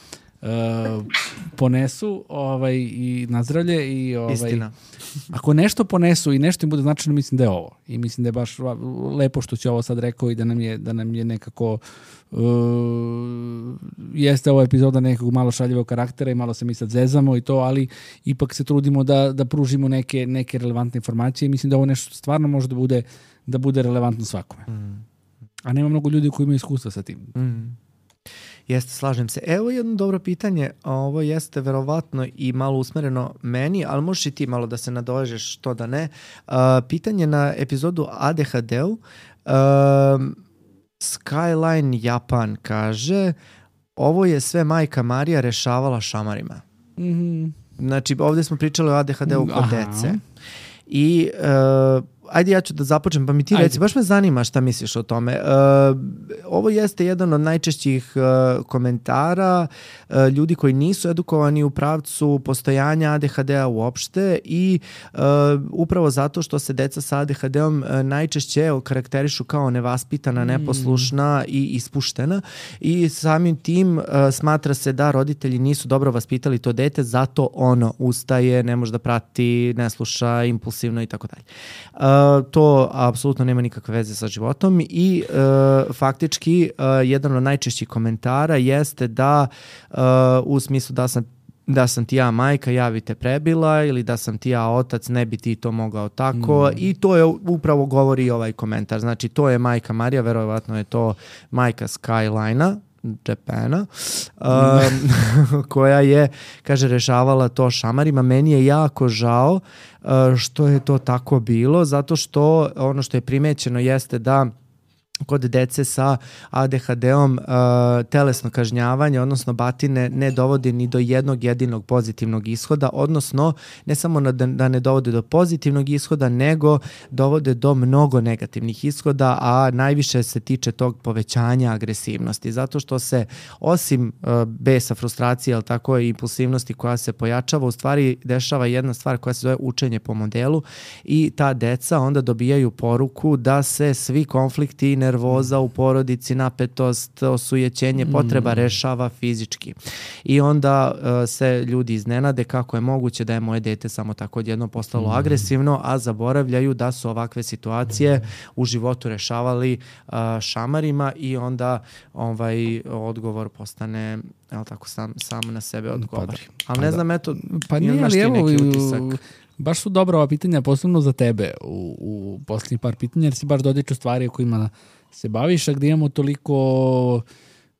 uh, ponesu ovaj, i nazdravlje i ovaj, istina. Ako nešto ponesu i nešto im bude značajno, mislim da je ovo. I mislim da je baš lepo što će ovo sad rekao i da nam je, da nam je nekako Uh, jeste ova epizoda nekog malo šaljivog karaktera i malo se mi sad zezamo i to, ali ipak se trudimo da, da pružimo neke, neke relevantne informacije i mislim da ovo nešto stvarno može da bude, da bude relevantno svakome. Mm. A nema mnogo ljudi koji imaju iskustva sa tim. Mm. Jeste, slažem se. Evo jedno dobro pitanje, ovo jeste verovatno i malo usmereno meni, ali možeš i ti malo da se nadovežeš, što da ne. Uh, pitanje na epizodu A D H D-u. Uh, Skyline Japan kaže ovo je sve majka Marija rešavala šamarima. Mm-hmm. Znači ovdje smo pričali o A D H D-u kod dece. I uh, ajde ja ću da započnem, pa mi ti reci, baš me zanima šta misliš o tome. Uh, ovo jeste jedan od najčešćih uh, komentara uh, ljudi koji nisu edukovani u pravcu postojanja A D H D-a uopšte i uh, upravo zato što se deca sa A D H D-om uh, najčešće karakterišu kao nevaspitana, neposlušna i ispuštena i samim tim uh, smatra se da roditelji nisu dobro vaspitali to dete, zato ono ustaje, ne može da prati, ne sluša, impulsivno i tako dalje. Uh, to apsolutno nema nikakve veze sa životom i uh, faktički uh, jedan od najčešćih komentara jeste da uh, u smislu da sam da sam ti ja majka, ja bi te prebila ili da sam ti ja otac, ne bi ti to mogao tako mm. i to je upravo govori ovaj komentar. Znači to je majka Marija, verovatno je to majka Skyline-a Japana, um, koja je, kaže, rešavala to šamarima. Meni je jako žao uh, što je to tako bilo, zato što ono što je primećeno jeste da kod dece sa A D H D-om uh, telesno kažnjavanje, odnosno batine, ne dovodi ni do jednog jedinog pozitivnog ishoda, odnosno ne samo da, da ne dovode do pozitivnog ishoda, nego dovode do mnogo negativnih ishoda, a najviše se tiče tog povećanja agresivnosti, zato što se osim uh, besa, frustracije, ali tako i impulsivnosti koja se pojačava, u stvari dešava jedna stvar koja se zove učenje po modelu i ta deca onda dobijaju poruku da se svi konflikti, nervoza u porodici, napetost, osujećenje, potreba rešava fizički. I onda uh, se ljudi iznenade kako je moguće da je moje dete samo tako odjedno postalo mm. agresivno, a zaboravljaju da su ovakve situacije mm. u životu rešavali uh, šamarima i onda ovaj odgovor postane, jel tako, sam, sam na sebe odgovori. Pa, ali ne znam, eto, pa nije li evo, neki utisak. Baš su dobra ova pitanja, posebno za tebe u, u posljednjih par pitanja, jer si baš dodiču stvari o kojima se baviš, a gdje imamo toliko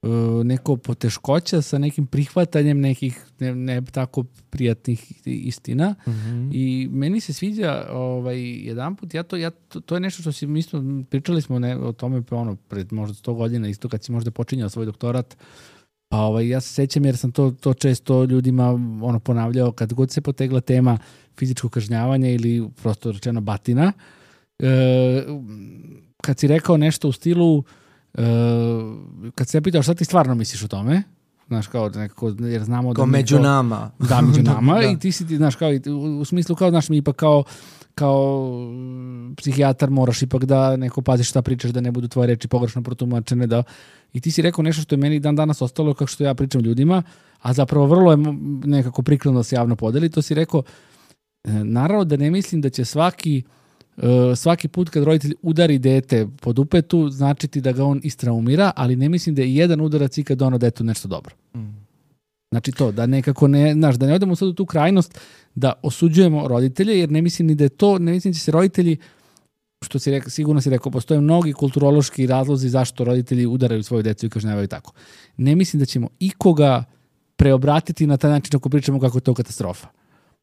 uh, neko poteškoća sa nekim prihvatanjem nekih ne, ne tako prijatnih istina. Mm-hmm. I meni se sviđa ovaj, jedan put, ja to, ja, to, to je nešto što si, mi smo, pričali smo ne, o tome ono, pred možda sto godina, isto kad si možda počinjao svoj doktorat. Pa ovaj, ja se sećam jer sam to, to često ljudima ono, ponavljao kad god se potegla tema fizičko kažnjavanja ili prosto rečeno batina. E, kad si rekao nešto u stilu, e, kad se pitao šta ti stvarno misliš o tome, znaš, kao nekako, jer znamo kao da... među kao, nama. Da, među nama da. I ti si, znaš, kao, u, u smislu kao, znaš, mi ipak kao, kao psihijatar moraš ipak da neko paziš šta pričaš, da ne budu tvoje reči pogrešno protumačene, da... I ti si rekao nešto što je meni dan danas ostalo kako što ja pričam ljudima, a zapravo vrlo je nekako prikladno da se javno podeli, to si rekao, naravno da ne mislim da će svaki Uh, svaki put kad roditelj udari dete po dupetu, značiti da ga on istraumira, ali ne mislim da je jedan udarac i kad ono detu nešto dobro. Mm. Znači to, da nekako ne, znaš, da ne odemo sad u tu krajnost da osuđujemo roditelje, jer ne mislim ni da je to, ne mislim da će se roditelji, što si rekao, sigurno si rekao, postoje mnogi kulturološki razlozi zašto roditelji udaraju svoju decu i kažnjavaju tako. Ne mislim da ćemo ikoga preobratiti na taj način ako pričamo kako je to katastrofa.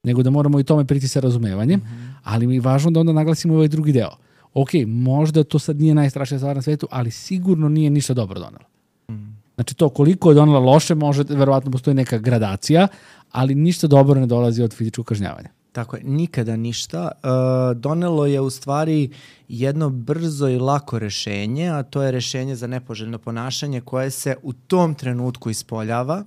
Nego da moramo i tome priti sa razumevanjem, mm-hmm. ali mi je važno da onda naglasimo ovaj drugi deo. Ok, možda to sad nije najstrašnija stvar na svetu, ali sigurno nije ništa dobro donela. Mm. Znači to koliko je donela loše, može, verovatno postoji neka gradacija, ali ništa dobro ne dolazi od fizičkog kažnjavanja. Tako je, nikada ništa. E, donelo je u stvari jedno brzo i lako rešenje, a to je rešenje za nepoželjno ponašanje koje se u tom trenutku ispoljava,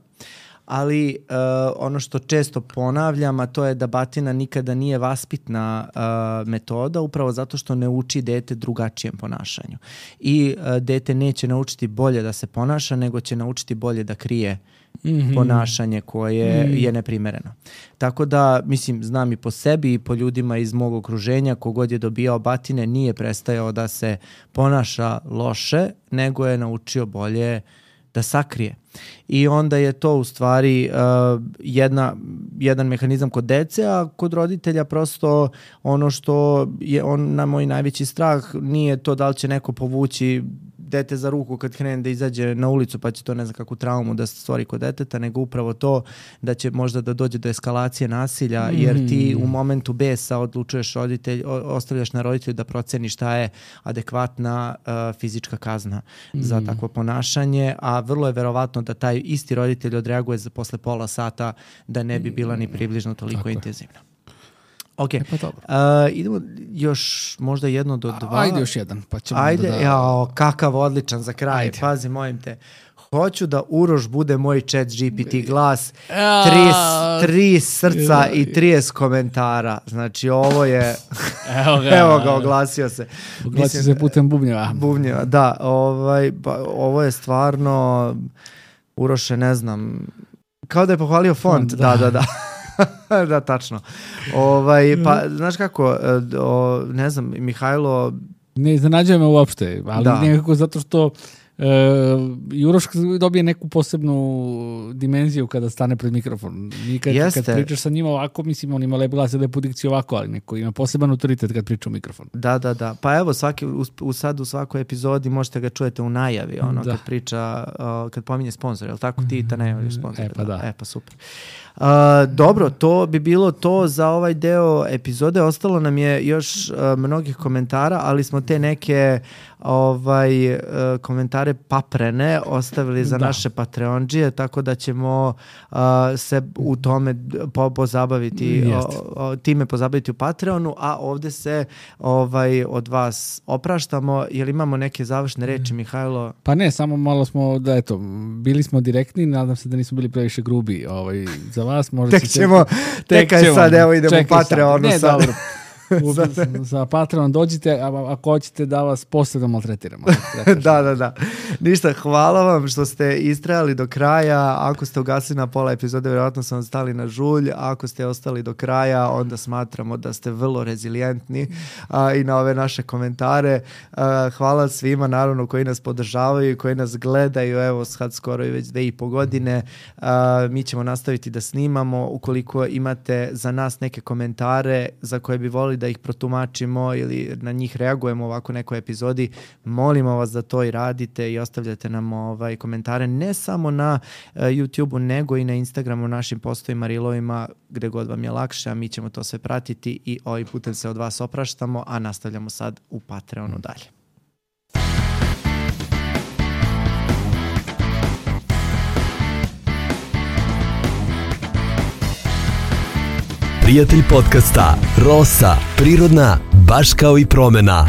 ali uh, ono što često ponavljam, a to je da batina nikada nije vaspitna uh, metoda, upravo zato što ne uči dete drugačijem ponašanju. I uh, dete neće naučiti bolje da se ponaša, nego će naučiti bolje da krije mm-hmm. ponašanje koje mm. je neprimereno. Tako da, mislim, znam i po sebi i po ljudima iz mog okruženja, kogod je dobijao batine, nije prestajao da se ponaša loše, nego je naučio bolje da sakrije. I onda je to u stvari uh, jedna, jedan mehanizam kod dece, a kod roditelja prosto ono što je on na moj najveći strah nije to da li će neko povući dete za ruku kad krene da izađe na ulicu pa će to ne znam kakvu traumu da se stvori kod deteta, nego upravo to da će možda da dođe do eskalacije nasilja, mm. jer ti u momentu besa odlučuješ roditelj, ostavljaš na roditelju da proceni šta je adekvatna uh, fizička kazna mm. za takvo ponašanje, a vrlo je verovatno da taj isti roditelj odreaguje za posle pola sata da ne bi bila ni približno toliko Tako intenzivna. Ok, e pa uh, idemo još možda jedno do dva. Ajde još jedan, pa ćemo Ajde, da... jao, kakav odličan za kraj, Ajde. Pazi, molim te. Hoću da Uroš bude moj chat G P T glas, tri, tri srca i trideset komentara. Znači ovo je, evo ga, evo ga oglasio se. Oglasio Mislim, se putem bubnjeva. Bubnjeva, da, ovaj, pa, ovo je stvarno, Uroše, ne znam, kao da je pohvalio font, font da, da, da. da. Da, tačno. Ovaj, pa, znaš kako, o, ne znam, Mihajlo... Ne iznenađuje me uopšte, ali da. Nekako zato što uh, Juroš dobije neku posebnu dimenziju kada stane pred mikrofon. I kad, kad pričaš sa njima ovako, mislim, on ima lep glas i lepu dikciju ovako, ali neko ima poseban autoritet kad priča u mikrofon. Da, da, da. Pa evo, svaki, u, u sad u svakoj epizodi možete ga čujete u najavi, ono, da. Kad priča, uh, kad pominje sponsor, je li tako? Ti ta najavljaš sponsor. E, pa da. E, pa super. Uh, dobro, to bi bilo to za ovaj deo epizode. Ostalo nam je još uh, mnogih komentara, ali smo te neke ovaj, komentare paprene ostavili za Da. naše Patreondžije, tako da ćemo uh, se u tome po, pozabaviti, Jeste. o, o, time pozabaviti u Patreonu, a ovde se ovaj, od vas opraštamo. Jel imamo neke završne reči, Mihajlo? Pa ne, samo malo smo, da eto, bili smo direktni, nadam se da nismo bili previše grubi ovaj, za vas. Možda Tek će- ćemo, tek je sad, evo idemo u Čekaj sad. Patreonu Ne, sad. dobro. U, za Patreon dođite, a ako hoćete da vas posebno maltretiramo. Da, da, da. Ništa, hvala vam što ste istrajali do kraja. Ako ste ugasili na pola epizode, vjerojatno sam vam stali na žulj. Ako ste ostali do kraja, onda smatramo da ste vrlo rezilijentni a, i na ove naše komentare. A, hvala svima, naravno, koji nas podržavaju i koji nas gledaju. Evo, sad skoro i već dve i po godine. A, mi ćemo nastaviti da snimamo. Ukoliko imate za nas neke komentare za koje bi volili da ih protumačimo ili na njih reagujemo u ovako nekoj epizodi, molimo vas da to i radite i ostavljate nam ovaj komentare ne samo na uh, YouTubeu, nego i na Instagramu, našim postovima, reelovima, gde god vam je lakše, a mi ćemo to sve pratiti i ovim putem se od vas opraštamo, a nastavljamo sad u Patreonu dalje. Prijatelj podcasta Rosa, prirodna, baš kao i promena.